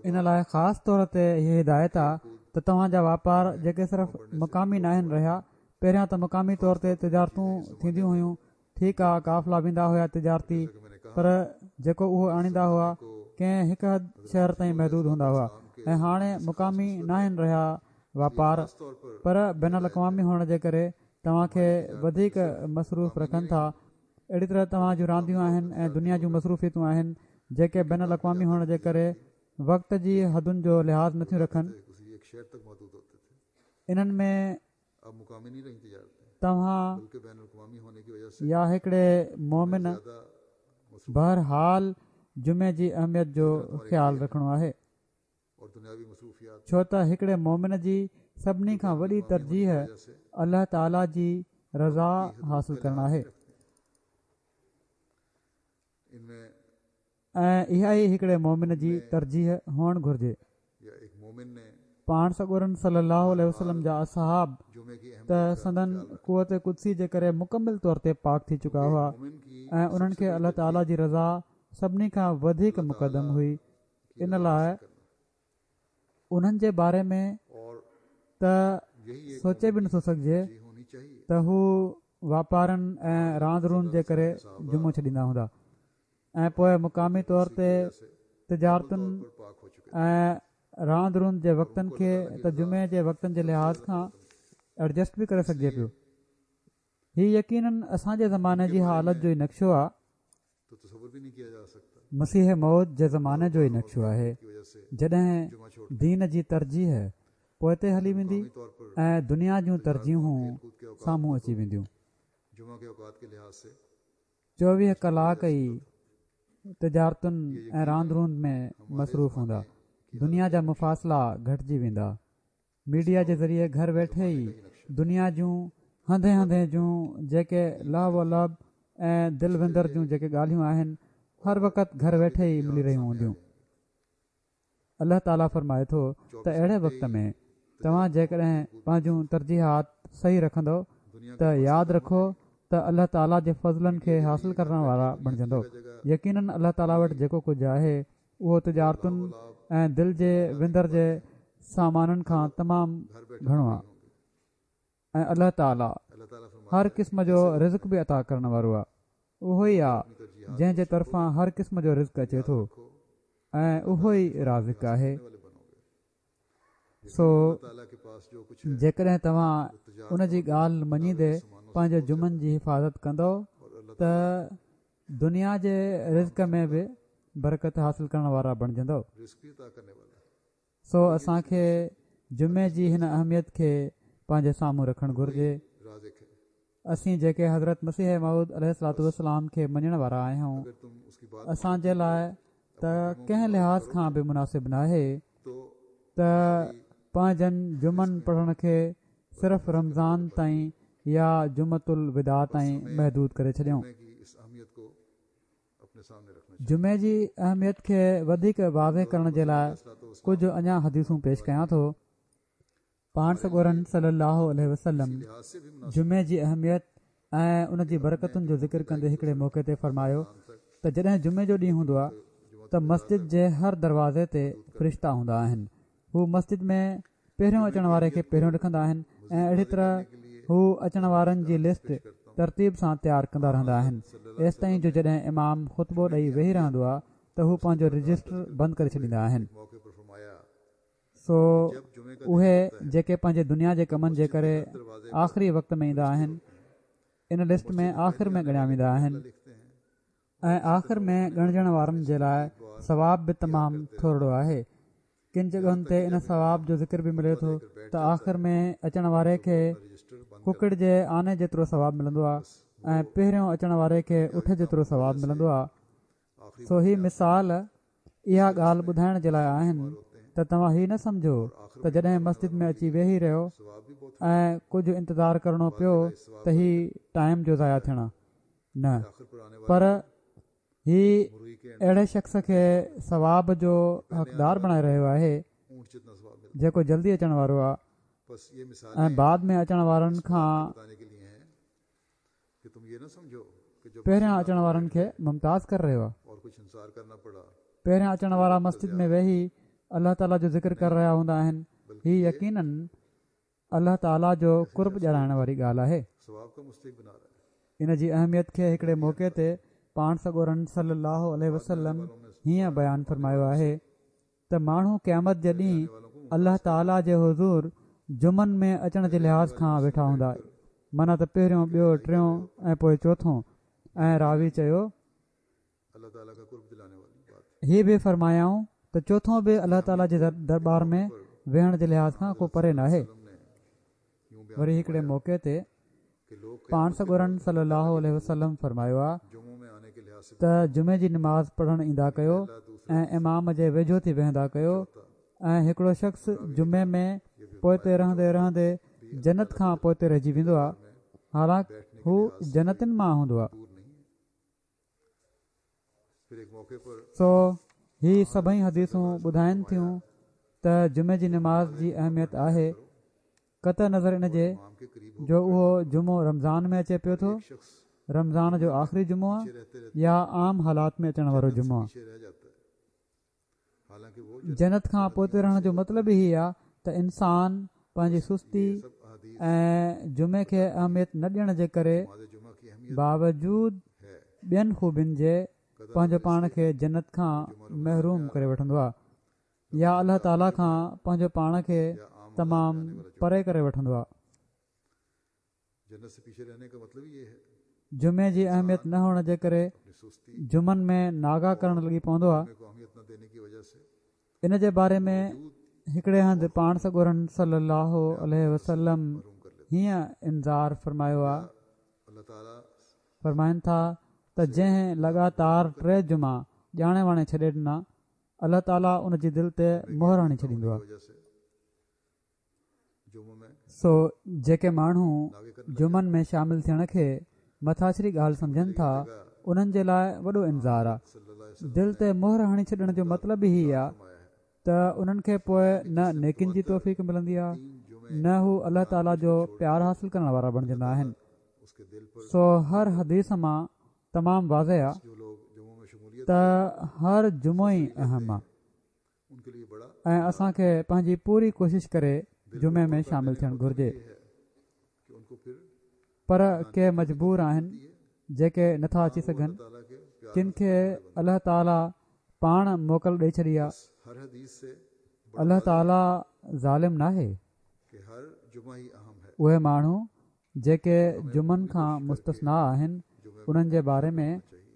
ان لاءِ خاص طور تي هيءَ هدايت آهي ته توهان جا واپار جيڪي صرف مقامي ناهن رهيا، پهريان ته مقامي طور تي تجارتون ٿينديون هيون، ٺيڪ آهي قافلا ويندا هئا تجارتي، پر جيڪو اهو آڻيندا هئا ڪنهن هڪ حد شهر تائين محدود هوندا هئا. ۽ هاڻي مقامي ناهن رهيا واپار، پر بين الاقوامي هئڻ جي ڪري توهان کي وڌيڪ مصروف رکن ٿا. اهڙي طرح توهان جون رانديون آهن ۽ دنيا جون مصروفيتون آهن جيڪي بين الاقوامي هئڻ جي ڪري وقت جي حدن جو لحاظ نٿيون رکن. انهن ۾ توهان يا هڪڙي مومن بهرحال جمعي جي اهميت جو خيال رکڻو آهي، ڇو ته هڪڙي مومن جي سڀني کان وڏي ترجيح الله تعاليٰ جي رضا حاصل ڪرڻ آهي ۽ اها ئي هڪڙي مومن جي ترجيح هئڻ گهرجي. پاڻ سڳورن صلي الله عليه وسلم جا اصحاب ته سندن قوت قدسي جي ڪري مڪمل طور تي پاڪ ٿي چڪا هئا ۽ انهن کي الله تعاليٰ جي رضا سڀني کان وڌيڪ مقدم هئي. ان لاءِ انهن جي باري ۾ ته سوچي به نٿو سگهجي ته هو واپارن ۽ راند روند جي ڪري جمعو ڇڏيندا هوندا. ۽ پوءِ مقامي طور تي تجارتن ۽ راند روند جي وقتن کي ته جمعي جي وقتن جي لحاظ کان ايڊجسٽ به ڪري سگهجي پيو. هي يقينن اسان جي زماني جي حالت جو ئي نقشو آهي، مسيح موعود جي زماني جو ئي نقشو آهي، جڏهن دين جي ترجيح پوئتي هلي ويندي ۽ دنيا جون ترجيحون سامهون اچي وينديون. چوويهه ڪلاڪ ئي تجارتن ۽ راند روند ۾ مصروف هوندا، دنيا جا مفاصلا گهٽجي ويندا. ميڊيا جي ذريعي گهر ويٺي ئي دنيا جون هنڌين هنڌين جون جيڪي لهو و لعب ۽ دل وندر جون جيڪي ڳالهيون آهن هر وقت گهر ويٺي ئي ملي رهيون هونديون. الله تعاليٰ فرمائي ٿو ته اهڙي وقت ۾ توهان جيڪڏهن پنهنجون ترجيحات صحيح رکندؤ ته ياد رکو ته الله تعاليٰ جي فضلن کي حاصل ڪرڻ وارا بڻجندو. يقينن الله تعاليٰ وٽ جيڪو ڪجهه آهي اهو تجارتن ۽ دل جي وندر جي سامانن کان تمام گهڻو آهي ۽ الله تعاليٰ هر قسم جو رزق به عطا ڪرڻ وارو آهي. اهو ئي آهي جنهن جي طرفان هر قسم جو رزق اچي ٿو ۽ اهو ئي رازق آهي. سو جيڪڏهن توهان ان جي ڳالهه مڃيندي پنهنجي جمعن جي حفاظت ڪندؤ ته دنيا جي رزق ۾ به برڪت حاصل ڪرڻ وارا بڻجندؤ. سو اسان کي جمعي جي هن اهميت کي پنهنجي سامهون رکڻ گهرجي. اسين جيڪي حضرت مسيح موعود عليه الصلوة والسلام کي مڃڻ وارا آهيون، اسان جي لاءِ ته ڪنهن لحاظ کان به مناسب ناهي ته پنهنجن جمعن پڙهڻ کي صرف رمضان تائين يا جمعة الوداع تائين محدود ڪري ڇڏيون. جمعي جي اهميت کي وڌيڪ واضح ڪرڻ جي لاءِ ڪجهه اڃا حديثون پيش ڪيان ٿو. پاڻ سڳورن صلي الله عليه وسلم جمعي جي اهميت ۽ ان جي برڪتن جو ذڪر ڪندي هڪڙي موقعي تي فرمايو ته جڏهن جمعي جو ڏينهن هوندو آهي ته مسجد جي هر دروازي تي فرشتا هوندا آهن. هو مسجد ۾ پهريون اچڻ واري کي پهريون لکندا آهن ۽ اهڙي طرح هو اچڻ وارن جي لسٽ ترتيب سان تيار ڪندا رهندا آهن، ايستائين جو جڏهن امام خطبو ڏئي ويهي رهندو آهي ته هو پنهنجو رجسٽر بند ڪري ڇڏيندا آهن. سو اهي جيڪي پنهنجي دنيا جي ڪمن جي ڪري آخري وقت ۾ ايندا آهن ان لسٽ ۾ آخر ۾ ڳڻيا ويندا آهن ۽ آخر ۾ ڳڻجڻ وارن جي لاءِ ثواب به تمام ٿورڙو آهي. ڪن جڳهن تي ان ثواب جو ذڪر به ملي ٿو ته آخر ۾ اچڻ واري کي ڪڪڙ جي آني جيترو ثواب ملندو آهي ۽ پهريون اچڻ واري کي اٺ جيترو ثواب ملندو آهي. سو هي مثال اها ڳالهه ٻڌائڻ جي لاءِ آهن ته توهان هي نه سمجهو ته جڏهن مسجد ۾ اچي ويهي رهيو ۽ ڪجهه انتظار ڪرڻو پيو ته هي ٽائيم جو ضايع ٿيڻ نه، پر هي اهڙي شخص کي ثواب جو حقدار بڻائي رهيو آهي جيڪو جلدي اچڻ وارو آهي ۽ بعد ۾ اچڻ وارن کان پهريان اچڻ وارن کي ممتاز ڪري رهيو آهي. پهريان اچڻ وارا مسجد ۾ ويهي الله تعاليٰ جو ذڪر ڪري رهيا هوندا آهن. هي يقينن الله تعاليٰ جو قرب ڏيارائڻ واري ڳالهه آهي. ان جي اهميت کي هڪڙي موقعي تي پاڻ سڳورن صلي الله عليه وسلم هيئن بيان فرمايو آهي ته ماڻهو قيامت جي ڏينهن الله تعاليٰ جي حضور جمعن ۾ اچڻ جي لحاظ کان ويٺا هوندا، معنيٰ ته پهريون، ٻيو، ٽيون ۽ پوءِ چوٿون. ۽ راوي چيو هي به فرمايائون ته چوٿون به الله تعاليٰ جي درٻار ۾ ويهڻ جي لحاظ کان ڪو پري ناهي. وري هڪڙي موقعي تي پاڻ سڳورن صلي الله عليه وسلم فرمايو آهي ته جمعي جي نماز پڙهڻ ايندا ڪيو ۽ امام جي ويجهو ٿي ويهندا ڪيو ۽ هڪڙو شخص جمعي ۾ پوئتي رهندي رهندي جنت کان پوئتي رهجي ويندو آهي، حالانڪه هو جنتن مان هوندو آهي. سو هي سڀئي حديثون ٻڌائن ٿيون ته جمعي جي نماز جي اهميت آهي، قطع نظر ان جي جو اهو جمعو رمضان ۾ اچي پيو ٿو، رمضان جو آخري جمعو آهي يا عام حالات ۾ اچڻ وارو جمعو آهي. جنت کان پوئتي رهڻ جو مطلب ئي آهي ته انسان پنهنجي سستي ۽ جمعي کي اهميت نه ڏيڻ جي ڪري باوجود ٻين خوبين جي پنهنجو پاڻ کي جنت کان محروم ڪري وٺندو آهي يا الله تعاليٰ کان پنهنجو پاڻ کي تمام پري ڪري وٺندو آهي. جمعي جي اهميت نه هئڻ جي ڪري جمعن ۾ ناغا ڪرڻ لڳي پوندو آهي. ان جي باري ۾ هڪڙي هنڌ پاڻ سڳورن صلي الله عليه وسلم هيئن انذار فرمايو آهي، فرمائن ٿا ته جنهن لڳاتار ٽي جمعا ڄاڻي واڻي ڇڏي ڏنا الله تعاليٰ ان جي دل تي مهر هڻي ڇڏيندو آهي. سو جيڪي ماڻهو جمعن ۾ شامل ٿيڻ کي مٿاڇري ڳالهه سمجهن ٿا انهن جي لاءِ وڏو انذار آهي. دل تي مهر هڻي ڇڏڻ جو مطلب ئي آهي ته انهن کي پوءِ نه نيڪين جي توفيق ملندي آهي نه هو الله تعاليٰ جو پيار حاصل ڪرڻ وارا بڻجندا آهن. سو هر حديث مان تمام واضح آهي ته هر جمعو ئي اهم آهي ۽ اسان کي پنهنجي پوري ڪوشش ڪري جمعي ۾ شامل ٿيڻ گهرجي. پر ڪي مجبور آهن جيڪي نٿا اچي سگهن، ڪن کي الله تعاليٰ پاڻ موڪل ڏئي ڇڏي آهي. الله تعاليٰ ظالم ناهي. اهي ماڻهو جيڪي جمعن کان مستثنيٰ آهن انهن جي باري ۾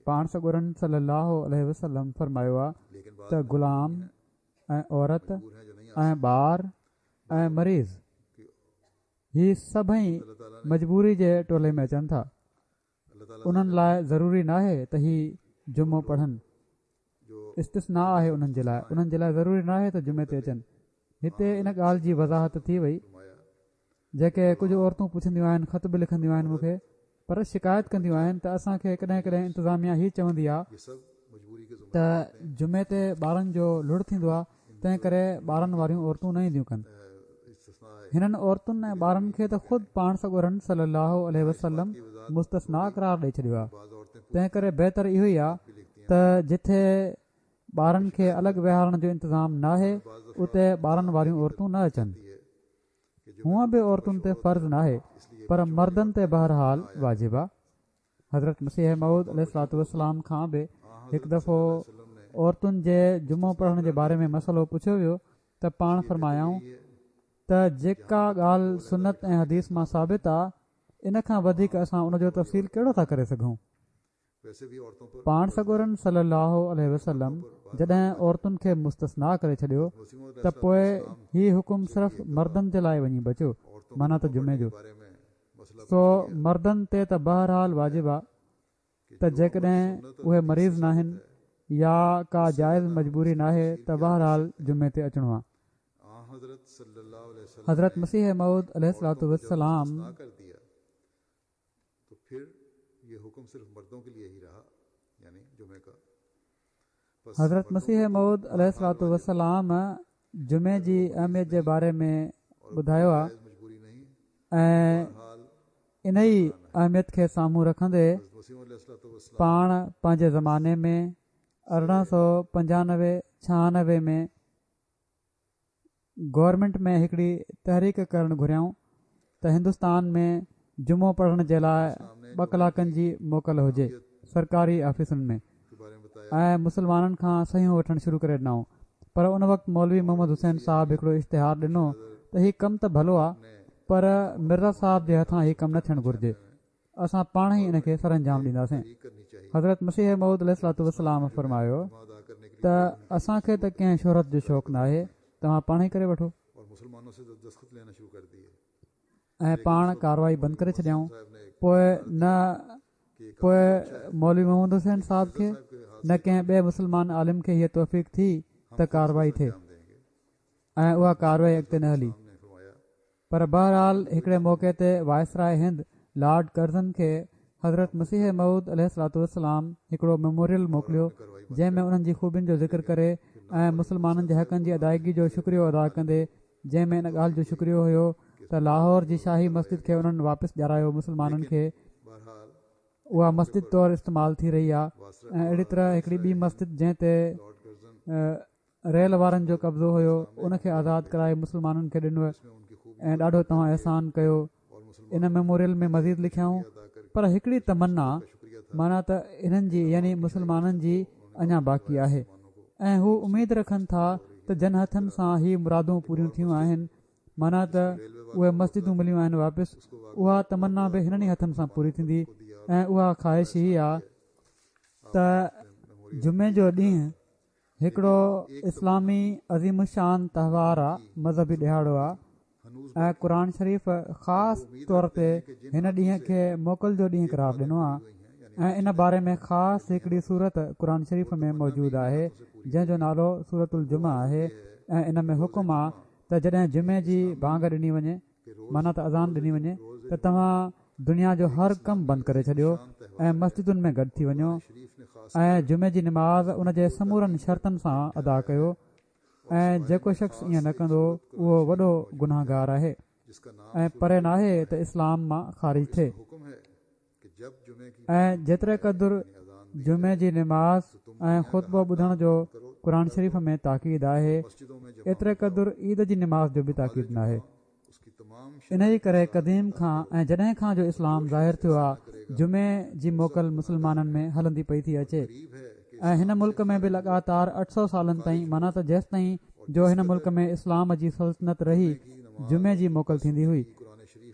پاڻ سڳورن صلي الله عليه وسلم فرمايو آهي ته غلام ۽ عورت ۽ ٻار ۽ مريض هي سڀئي مجبوري جي ٽولي ۾ اچن ٿا. انهن لاءِ ضروري ناهي ته هي جمعو پڙهن، استثنيٰ آهي انهن جي لاءِ، انهن جي لاءِ ضروري ناهي ته جمعي تي اچن. هتي ان ڳالهه جي وضاحت ٿي وئي. جيڪي ڪجهه عورتون پڇنديون آهن، خط به لکنديون آهن مون کي، پر شڪايت ڪنديون آهن ته اسان کي ڪڏهن ڪڏهن انتظاميا هي چوندي آهي ته جمعي تي ٻارن جو لڙ ٿيندو آهي، تنهن ڪري ٻارن واريون عورتون نه اينديون ڪن. هنن عورتن ۽ ٻارن کي ته خود پاڻ سڳورن صلي الله عليه وسلم مستثنيٰ قرار ڏئي ڇڏيو آهي. تنهن ڪري بهتر اهو ئي آهي ته جٿي ٻارن کي الڳ ويهارڻ جو انتظام ناهي اتي ٻارن واريون عورتون نه اچن. هونءَ به عورتن تي فرض ناهي پر مردن تي بهرحال واجب آهي. حضرت مسيح موعود عليه الصلوة والسلام کان به هڪ دفعو عورتن جي جمعو پڙهڻ جي باري ۾ مسئلو پڇيو ويو ته پاڻ فرمايائون ته جيڪا ڳالهه سنت ۽ حديث مان ثابت آهي ان کان وڌيڪ اسان ان جو تفصيل ڪهڙو ٿا ڪري سگهون. پاڻ سڳورن صلي الله عليه وسلم جڏهن عورتن کي مستثنيٰ ڪري ڇڏيو ته پوءِ هي حڪم صرف مردن جي لاءِ وڃي بچيو، معنيٰ ته جمعي جو. سو مردن تي ته بهرحال واجب آهي ته جيڪڏهن اهي مريض ناهن يا ڪا جائز مجبوري ناهي ته بهرحال جمعي تي اچڻو آهي. حضرت مسيح موعود عليه الصلوة والسلام حضرت مسيح موعود عليه الصلوة والسلام جمعي جي اهميت جي باري ۾ ٻڌايو آهي ۽ ان ئي اهميت کي سامهون رکندي پاڻ پنهنجي زماني ۾ ارڙهن سؤ پنجانوي ڇهانوي ۾ گورنمينٽ ۾ هڪڙي تحريڪ ڪرڻ گهريائون ته هندستان ۾ جمعو پڙهڻ جي لاءِ ٻه ڪلاڪن جي موڪل هجي سرڪاري آفيسن ۾ ۽ مسلمانن کان صحيحون وٺڻ شروع ڪري ڏنائون. پر ان وقت مولوي محمد حسين صاحب هڪڙو اشتهار ڏنو ته هي ڪم ته ڀلو آهي پر مرزا صاحب جي هٿان هي ڪم نه ٿيڻ گهرجي، اسان پاڻ ئي ان کي سر انجام ڏينداسين. حضرت مسيح موعود عليه الصلوة والسلام فرمايو ته اسان کي ته ڪنهن شهرت جو شوق ناهي، توهان پاڻ ئي ڪري وٺو. ۽ پاڻ ڪارروائي بند ڪري ڇڏيائون. پوءِ نه پوءِ مولوي محمد حسين صاحب کي نه ڪنهن ٻئي مسلمان عالم کي هيءَ توفيق ٿي ته ڪارروائي ٿئي ۽ اها ڪارروائي اڳتي نه هلي. پر بهرحال هڪڙي موقعي تي وائسراءِ هند لارڊ ڪرزن کي حضرت مسيح موعود عليه الصلوة والسلام هڪڙو ميموريل موڪليو جنهن ۾ انهن جي خوبين جو ذڪر ڪري ۽ مسلمانن جي حقن جي ادائگي جو شڪريو ادا ڪندي، جنهن ۾ ان ڳالهه جو شڪريو هيو ته لاهور جي شاهي مسجد کي انهن واپس ڏيارايو مسلمانن کي، اها مسجد طور استعمال ٿي رهي آهي. ۽ اهڙي طرح هڪڙي ٻي مسجد جنهن تي ريل وارن جو قبضو هيو ان کي آزاد ڪرائي مسلمانن کي ڏنو ۽ ڏاڍو توهان احسان ڪيو. ان ميموريل ۾ مزيد لکيائون پر هڪڙي تمنا معنيٰ ته انهن جي يعني مسلمانن جي اڃا باقي آهي ۽ هو اميد رکن ٿا ته جن هٿن سان هي مرادون پوريون ٿيون آهن، معنيٰ ته اهي مسجدون مليون آهن واپس، اها تمنا به هنن ئي هٿن سان پوري ٿيندي. ۽ اها خواهش هي آهي ته جمعي جو ڏينهن هڪڙو اسلامي عظيم الشان تهوار آهي، مذهبي ڏهاڙو آهي ۽ قرآن شريف خاص طور تي هن ڏينهن کي موڪل جو ڏينهن قرار ڏنو آهي ۽ ان باري ۾ خاص هڪڙي سورت قرآن شريف ۾ موجود آهي جنهن جو نالو سورت الجمعه آهي ۽ ان ۾ حڪم آهي ته جڏهن جمعي جي بانگ ڏني وڃي، معنيٰ ته اذان ڏني وڃي، ته توهان دنيا جو هر ڪم بند ڪري ڇڏيو ۽ مسجدن ۾ گڏ ٿي وڃو ۽ جمعي جي نماز ان جي سمورن شرطن سان ادا ڪيو ۽ جيڪو شخص ائين نه ڪندو اهو وڏو گناهگار آهي ۽ پري ناهي ته اسلام مان خارج ٿئي. ۽ جيتري قدر جمعي جي نماز ۽ خطبو ٻڌڻ جو قرآن شريف ۾ تاڪيد آهي، ايتري قدر عيد جي نماز جو به تاڪيد ناهي. ان ئي ڪري قديم کان ۽ جڏهن کان جو اسلام ظاهر ٿيو آهي جمعي جي موڪل مسلمانن ۾ هلندي پئي ٿي اچي ۽ هن ملڪ ۾ به لڳاتار اٺ سؤ سالن تائين، معنيٰ ته جيستائين جو هن ملڪ ۾ اسلام جي سلطنت رهي، جمعي جي موڪل ٿيندي هئي.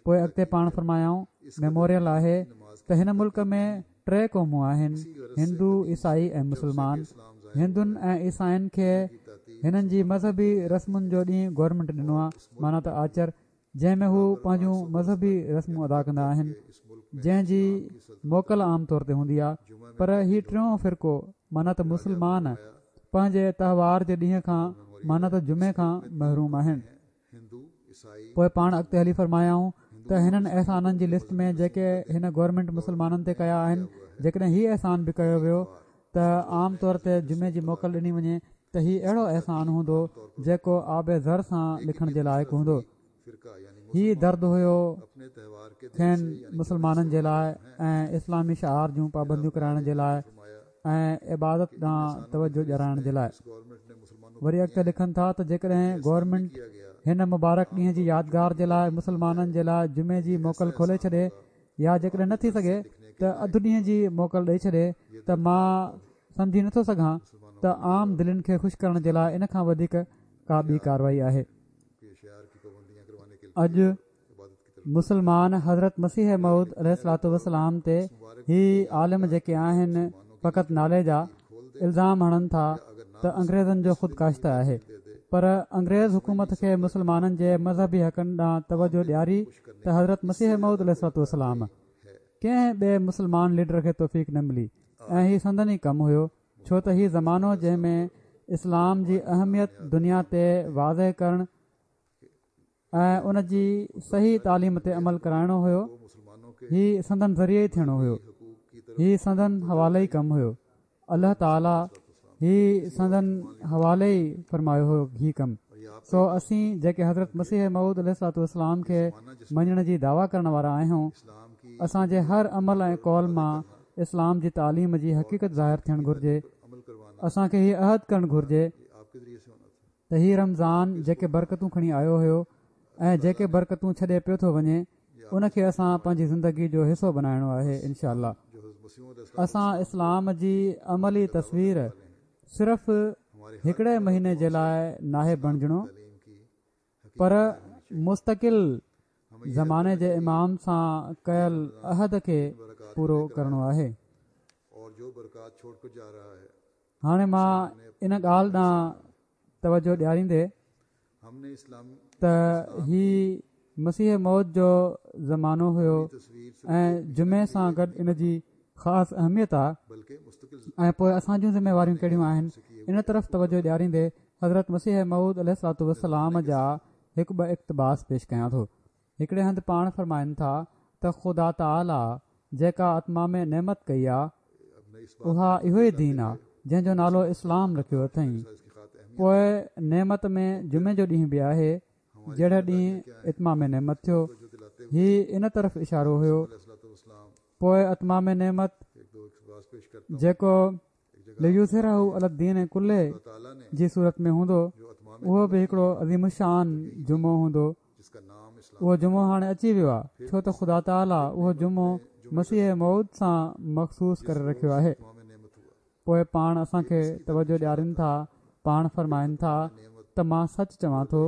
پوءِ اڳتي پاڻ فرمايائون ميموريل آهي ته هن ملڪ ۾ ٽي قومون آهن، هندو، عيسائي ۽ مسلمان. هندن ۽ عيسائين کي هنن جي مذهبي رسمن جو ڏينهن گورنمينٽ ڏنو آهي، معنيٰ ته آچر، جنهن ۾ هو پنهنجون مذهبي رسمون ادا ڪندا آهن، جنهن جي موڪل عام طور تي هوندي آهي. پر هي ٽيون فرقو معنيٰ ته مسلمان پنهنجي تهوار جي ڏينهن کان، معنيٰ ته جمعي کان محروم آهن. پوءِ پاڻ اڳتي هلي فرمايائون ته هنن احسانن جي لسٽ ۾ جيڪي هن گورنمينٽ مسلمانن تي ڪيا آهن، جيڪڏهن هي احسان به ڪيو ويو ته عام طور تي جمعي جي موڪل ڏني وڃي ته هي اهڙو احسان هوندو جيڪو آب زر سان لکڻ جي لائق هوندو. هي درد هيو کين مسلمانن جي لاءِ ۽ اسلامي شعار جون پابنديون ڪرائڻ جي لاءِ ۽ عبادت ڏانهن توجهه ڏيارائڻ جي لاءِ. وري اڳتي لکن ٿا ته جيڪڏهن گورنمينٽ هن مبارڪ ڏينهن جي يادگار جي لاءِ مسلمانن جي لاءِ جمعي جي موڪل کولي ڇڏي يا جيڪڏهن نه ٿي سگهي ته اڌ ڏينهن جي موڪل ڏئي ڇڏي ته مان سمجهي نٿو سگهان ته عام دلين کي خوش ڪرڻ جي لاءِ ان کان وڌيڪ ڪا ٻي ڪارروائي آهي. اڄ مسلمان حضرت مسيح موعود عليه الصلوة والسلام تي هي عالم جيڪي آهن فقط نالي جا الزام هڻن ٿا ته انگريزن جو خود ڪاشته آهي، پر انگريز حڪومت کي مسلمانن جي مذهبي حقن ڏانهن توجهه ڏياري ته حضرت مسيح موعود عليه الصلوة والسلام ڪنهن ٻئي مسلمان ليڊر کي توفيق نه ملي ۽ هي سندن ئي ڪم هيو، ڇو ته هي زمانو جنهن ۾ اسلام جي اهميت دنيا تي واضح ڪرڻ ۽ ان جي صحيح تعليم تي عمل ڪرائڻو هيو، هي سندن ذريعي ئي ٿيڻو هيو، هي سندن حوالي ئي ڪم هيو. الله تعاليٰ هي سندن حوالي ئي فرمايو هيو هي ڪم. سو اسين جيڪي حضرت مسيح موعود عليه الصلوة والسلام کي مڃڻ جي دعويٰ ڪرڻ وارا آهيون، اسان جي هر عمل ۽ قول مان اسلام جي تعليم جي حقيقت ظاهر ٿيڻ گهرجي. اسان کي هي عهد ڪرڻ گهرجي ته هي رمضان جيڪي برڪتون کڻي آيو هيو ۽ جيڪي برڪتون ڇڏي پيو ٿو وڃي ان کي اسان پنهنجي زندگي جو حصو بنائڻو آهي انشاء الله. اسان اسلام جي عملي تصوير صرف هڪڙي مهيني جي لاءِ ناهي بڻجڻو، پر مستقل زماني جي امام سان ڪيل عهد کي پورو ڪرڻو آهي. هاڻي مان ان ڳالهه ڏانهن توجهه ڏياريندي ته هي مسيح موعود جو زمانو هيو ۽ جمعي سان گڏ ان جي خاص اهميت آهي ۽ پوءِ اسان جون ذميواريون ڪهڙيون آهن، ان طرف توجهه ڏياريندي حضرت مسيح موعود عليه الصلوة والسلام جا هڪ ٻه اقتباس پيش ڪيان ٿو. هڪڙي هنڌ پاڻ فرمائن ٿا ته خدا تعاليٰ جيڪا اتمام نعمت ڪئي آهي اها اهو ئي دين آهي جنهن جو نالو اسلام رکيو اٿئين. پوءِ نعمت ۾ جمعي جو ڏينهن به آهي جهڙي ڏينهن اتمام نعمت ٿيو، هي ان طرف اشارو هيو. پوءِ اتمام نعمت جيڪو ليظهره علي الدين ڪله جي صورت ۾ هوندو اهو به هڪڙو عظيم الشان جمعو هوندو. اهو جمعو هاڻي اچي ويو آهي، ڇو ته خدا تعاليٰ اهو جمعو مسيح موعود سان مخصوص ڪري رکيو آهي. پوءِ پاڻ اسان کي توجهه ڏيارين ٿا، پاڻ فرمائن ٿا ته مان سچ چوان ٿو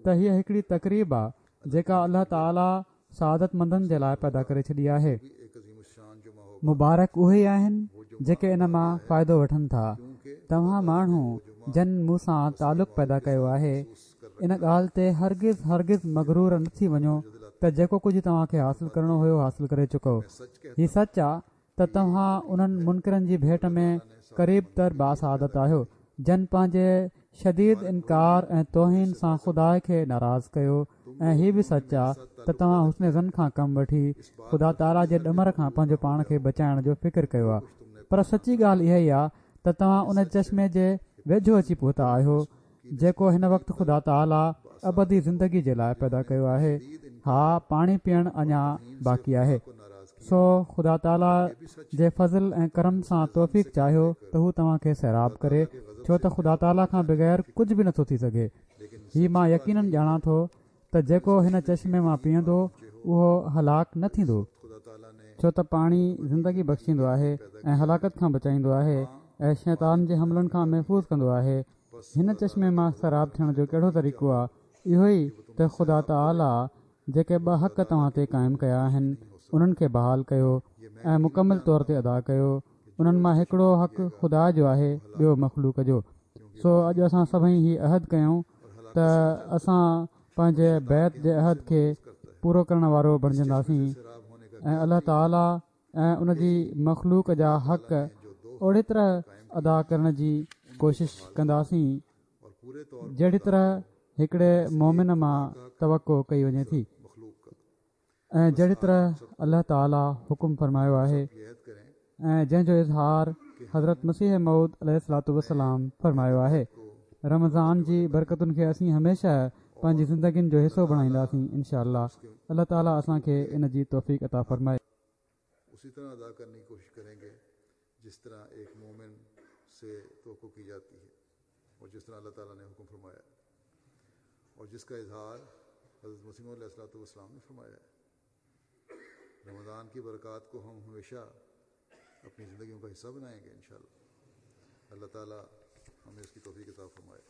ته هيءَ هڪڙي تقريب آهي جيڪا الله تعاليٰ سعادت مندن جي لاءِ پيدا ڪري ڇڏي آهي. مبارڪ اهي آهن جيڪي ان مان فائدو وٺن ٿا. توهان ماڻهو جن مون سان تعلق پيدا ڪيو آهي ان ڳالهه تي هرگز هرگز مغرور نه ٿي وڃو ته جيڪو ڪجهه توهان کي حاصل ڪرڻو هيو حاصل ڪري چڪو. هي سچ آهي ته توهان انهن منڪرن جي ڀيٽ ۾ قريب تر باسعادت آهيو جن پنهنجي شديد انڪار ۽ توهين سان خدا کي ناراض ڪيو، ۽ هي به سچ آهي ته توهان حسن ظن کان ڪم وٺي خدا تعاليٰ جي ڏمر کان پنهنجو پاڻ کي بچائڻ جو فڪر ڪيو آهي. پر سچي ڳالهه اها ئي آهي ته توهان ان چشمي جي ويجهو اچي پهتا آهيو جيڪو هن وقت خدا تعاليٰ ابدي زندگي جي لاءِ پيدا ڪيو آهي. ها، پاڻي پيئڻ اڃا باقي آهي. سو خدا تعاليٰ جي فضل ۽ ڪرم سان توفيق چاهيو ته هو توهان کي سيراب ڪري، ڇو ته خدا تعاليٰ کان بغير ڪجهه به نٿو ٿي سگهي. هي مان يقينن ڄاڻان ٿو ته جيڪو هن چشمي مان پيئندو اهو هلاڪ نه ٿيندو، ڇو ته پاڻي زندگي بخشيندو آهي ۽ هلاڪت کان بچائيندو آهي ۽ شيطان جي حملن کان محفوظ ڪندو آهي. هن چشمي مان سيراب ٿيڻ جو ڪهڙو طريقو آهي؟ اهو ئي ته خدا تعاليٰ جيڪي ٻه حق توهان تي قائم ڪيا آهن انهن کي بحال ڪيو ۽ مڪمل طور تي ادا ڪيو. انهن مان هڪڙو حق خدا جو آهي، ٻيو مخلوق جو. سو اڄ اسان سڀئي هي عهد ڪيون ته اسان پنهنجي بيعت جي عهد کي پورو ڪرڻ وارو بڻجنداسين ۽ الله تعاليٰ ۽ ان جي مخلوق جا حق اوڙي طرح ادا ڪرڻ جي ڪوشش ڪنداسين جهڙي طرح هڪڙي مومن مان توقع ڪئي وڃي ٿي ۽ جهڙي طرح الله تعاليٰ حڪم فرمايو آهي ۽ جنهن جو اظهار حضرت مسيح موعود عليه الصلوة والسلام فرمايو آهي. رمضان جي برڪتن کي اسين هميشه پنهنجي زندگين جو حصو بڻائينداسين انشاء الله. الله تعاليٰ اسان کي ان جي توفيق عطا فرمائي. اسی طرح ادا کرنے کی کوشش کریں گے جس طرح ایک مومن سے توقع کی جاتی ہے اور جس طرح اللہ تعالیٰ نے حکم فرمایا۔ और जिसका इजहार हज़रत मसीह अलैहिस्सलाम ने फरमाया है। रमज़ान की बरक़ात को हम हमेशा अपनी ज़िंदगियों का हिस्सा बनाएंगे इंशाअल्लाह। अल्लाह ताला हमें इसकी तौफीक अता फरमाए।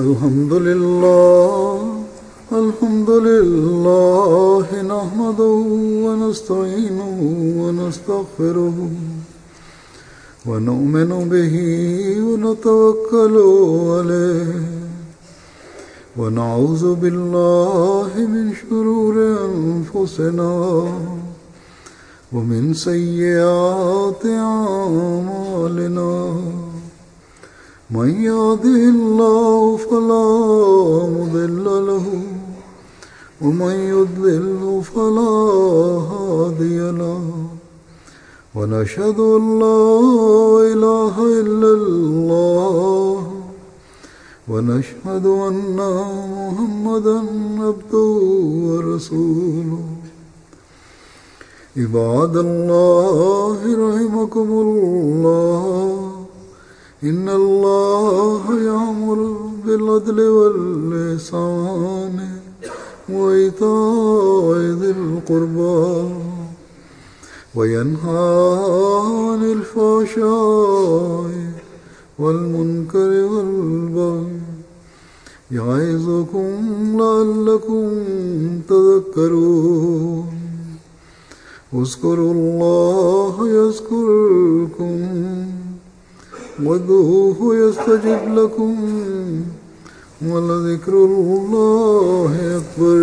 अल्हम्दुलिल्लाह अल्हम्दुलिल्लाह नहमदुहु व नस्तईनुहु व नस्तगफिरुहु व नु'मिनु बिही व नतवक्कलु अलैहि व नऊज़ु बिल्लाहि मिन शुरूरि अनफुसिना व मिन सय्यिआति अअमालिना। मन यहदिहिल्लाहु फला मुदिल्ल लहु व मन युद्लिलहु फला हादिय लहु। व नशहदु अन ला इलाहा इल्लल्लाह व नशहदु अन्ना मुहम्मदन अब्दुहु व रसूलुहु। इबादल्लाहि रहिमकुमुल्लाह। इन्नल्लाह यामुरु बिल-अदलि वल-इहसान व ईताइ ज़िल क़ुर्बा व यन्हा अनिल फ़हशाइ वल मुनकरि वल बग़ी यइज़ुकुम लअल्लकुम तज़क्करून। उज़्कुरुल्लाह यज़्कुरकुम वदऊहु यस्तजिब लकुम वलज़िक्रुल्लाहि अकबर।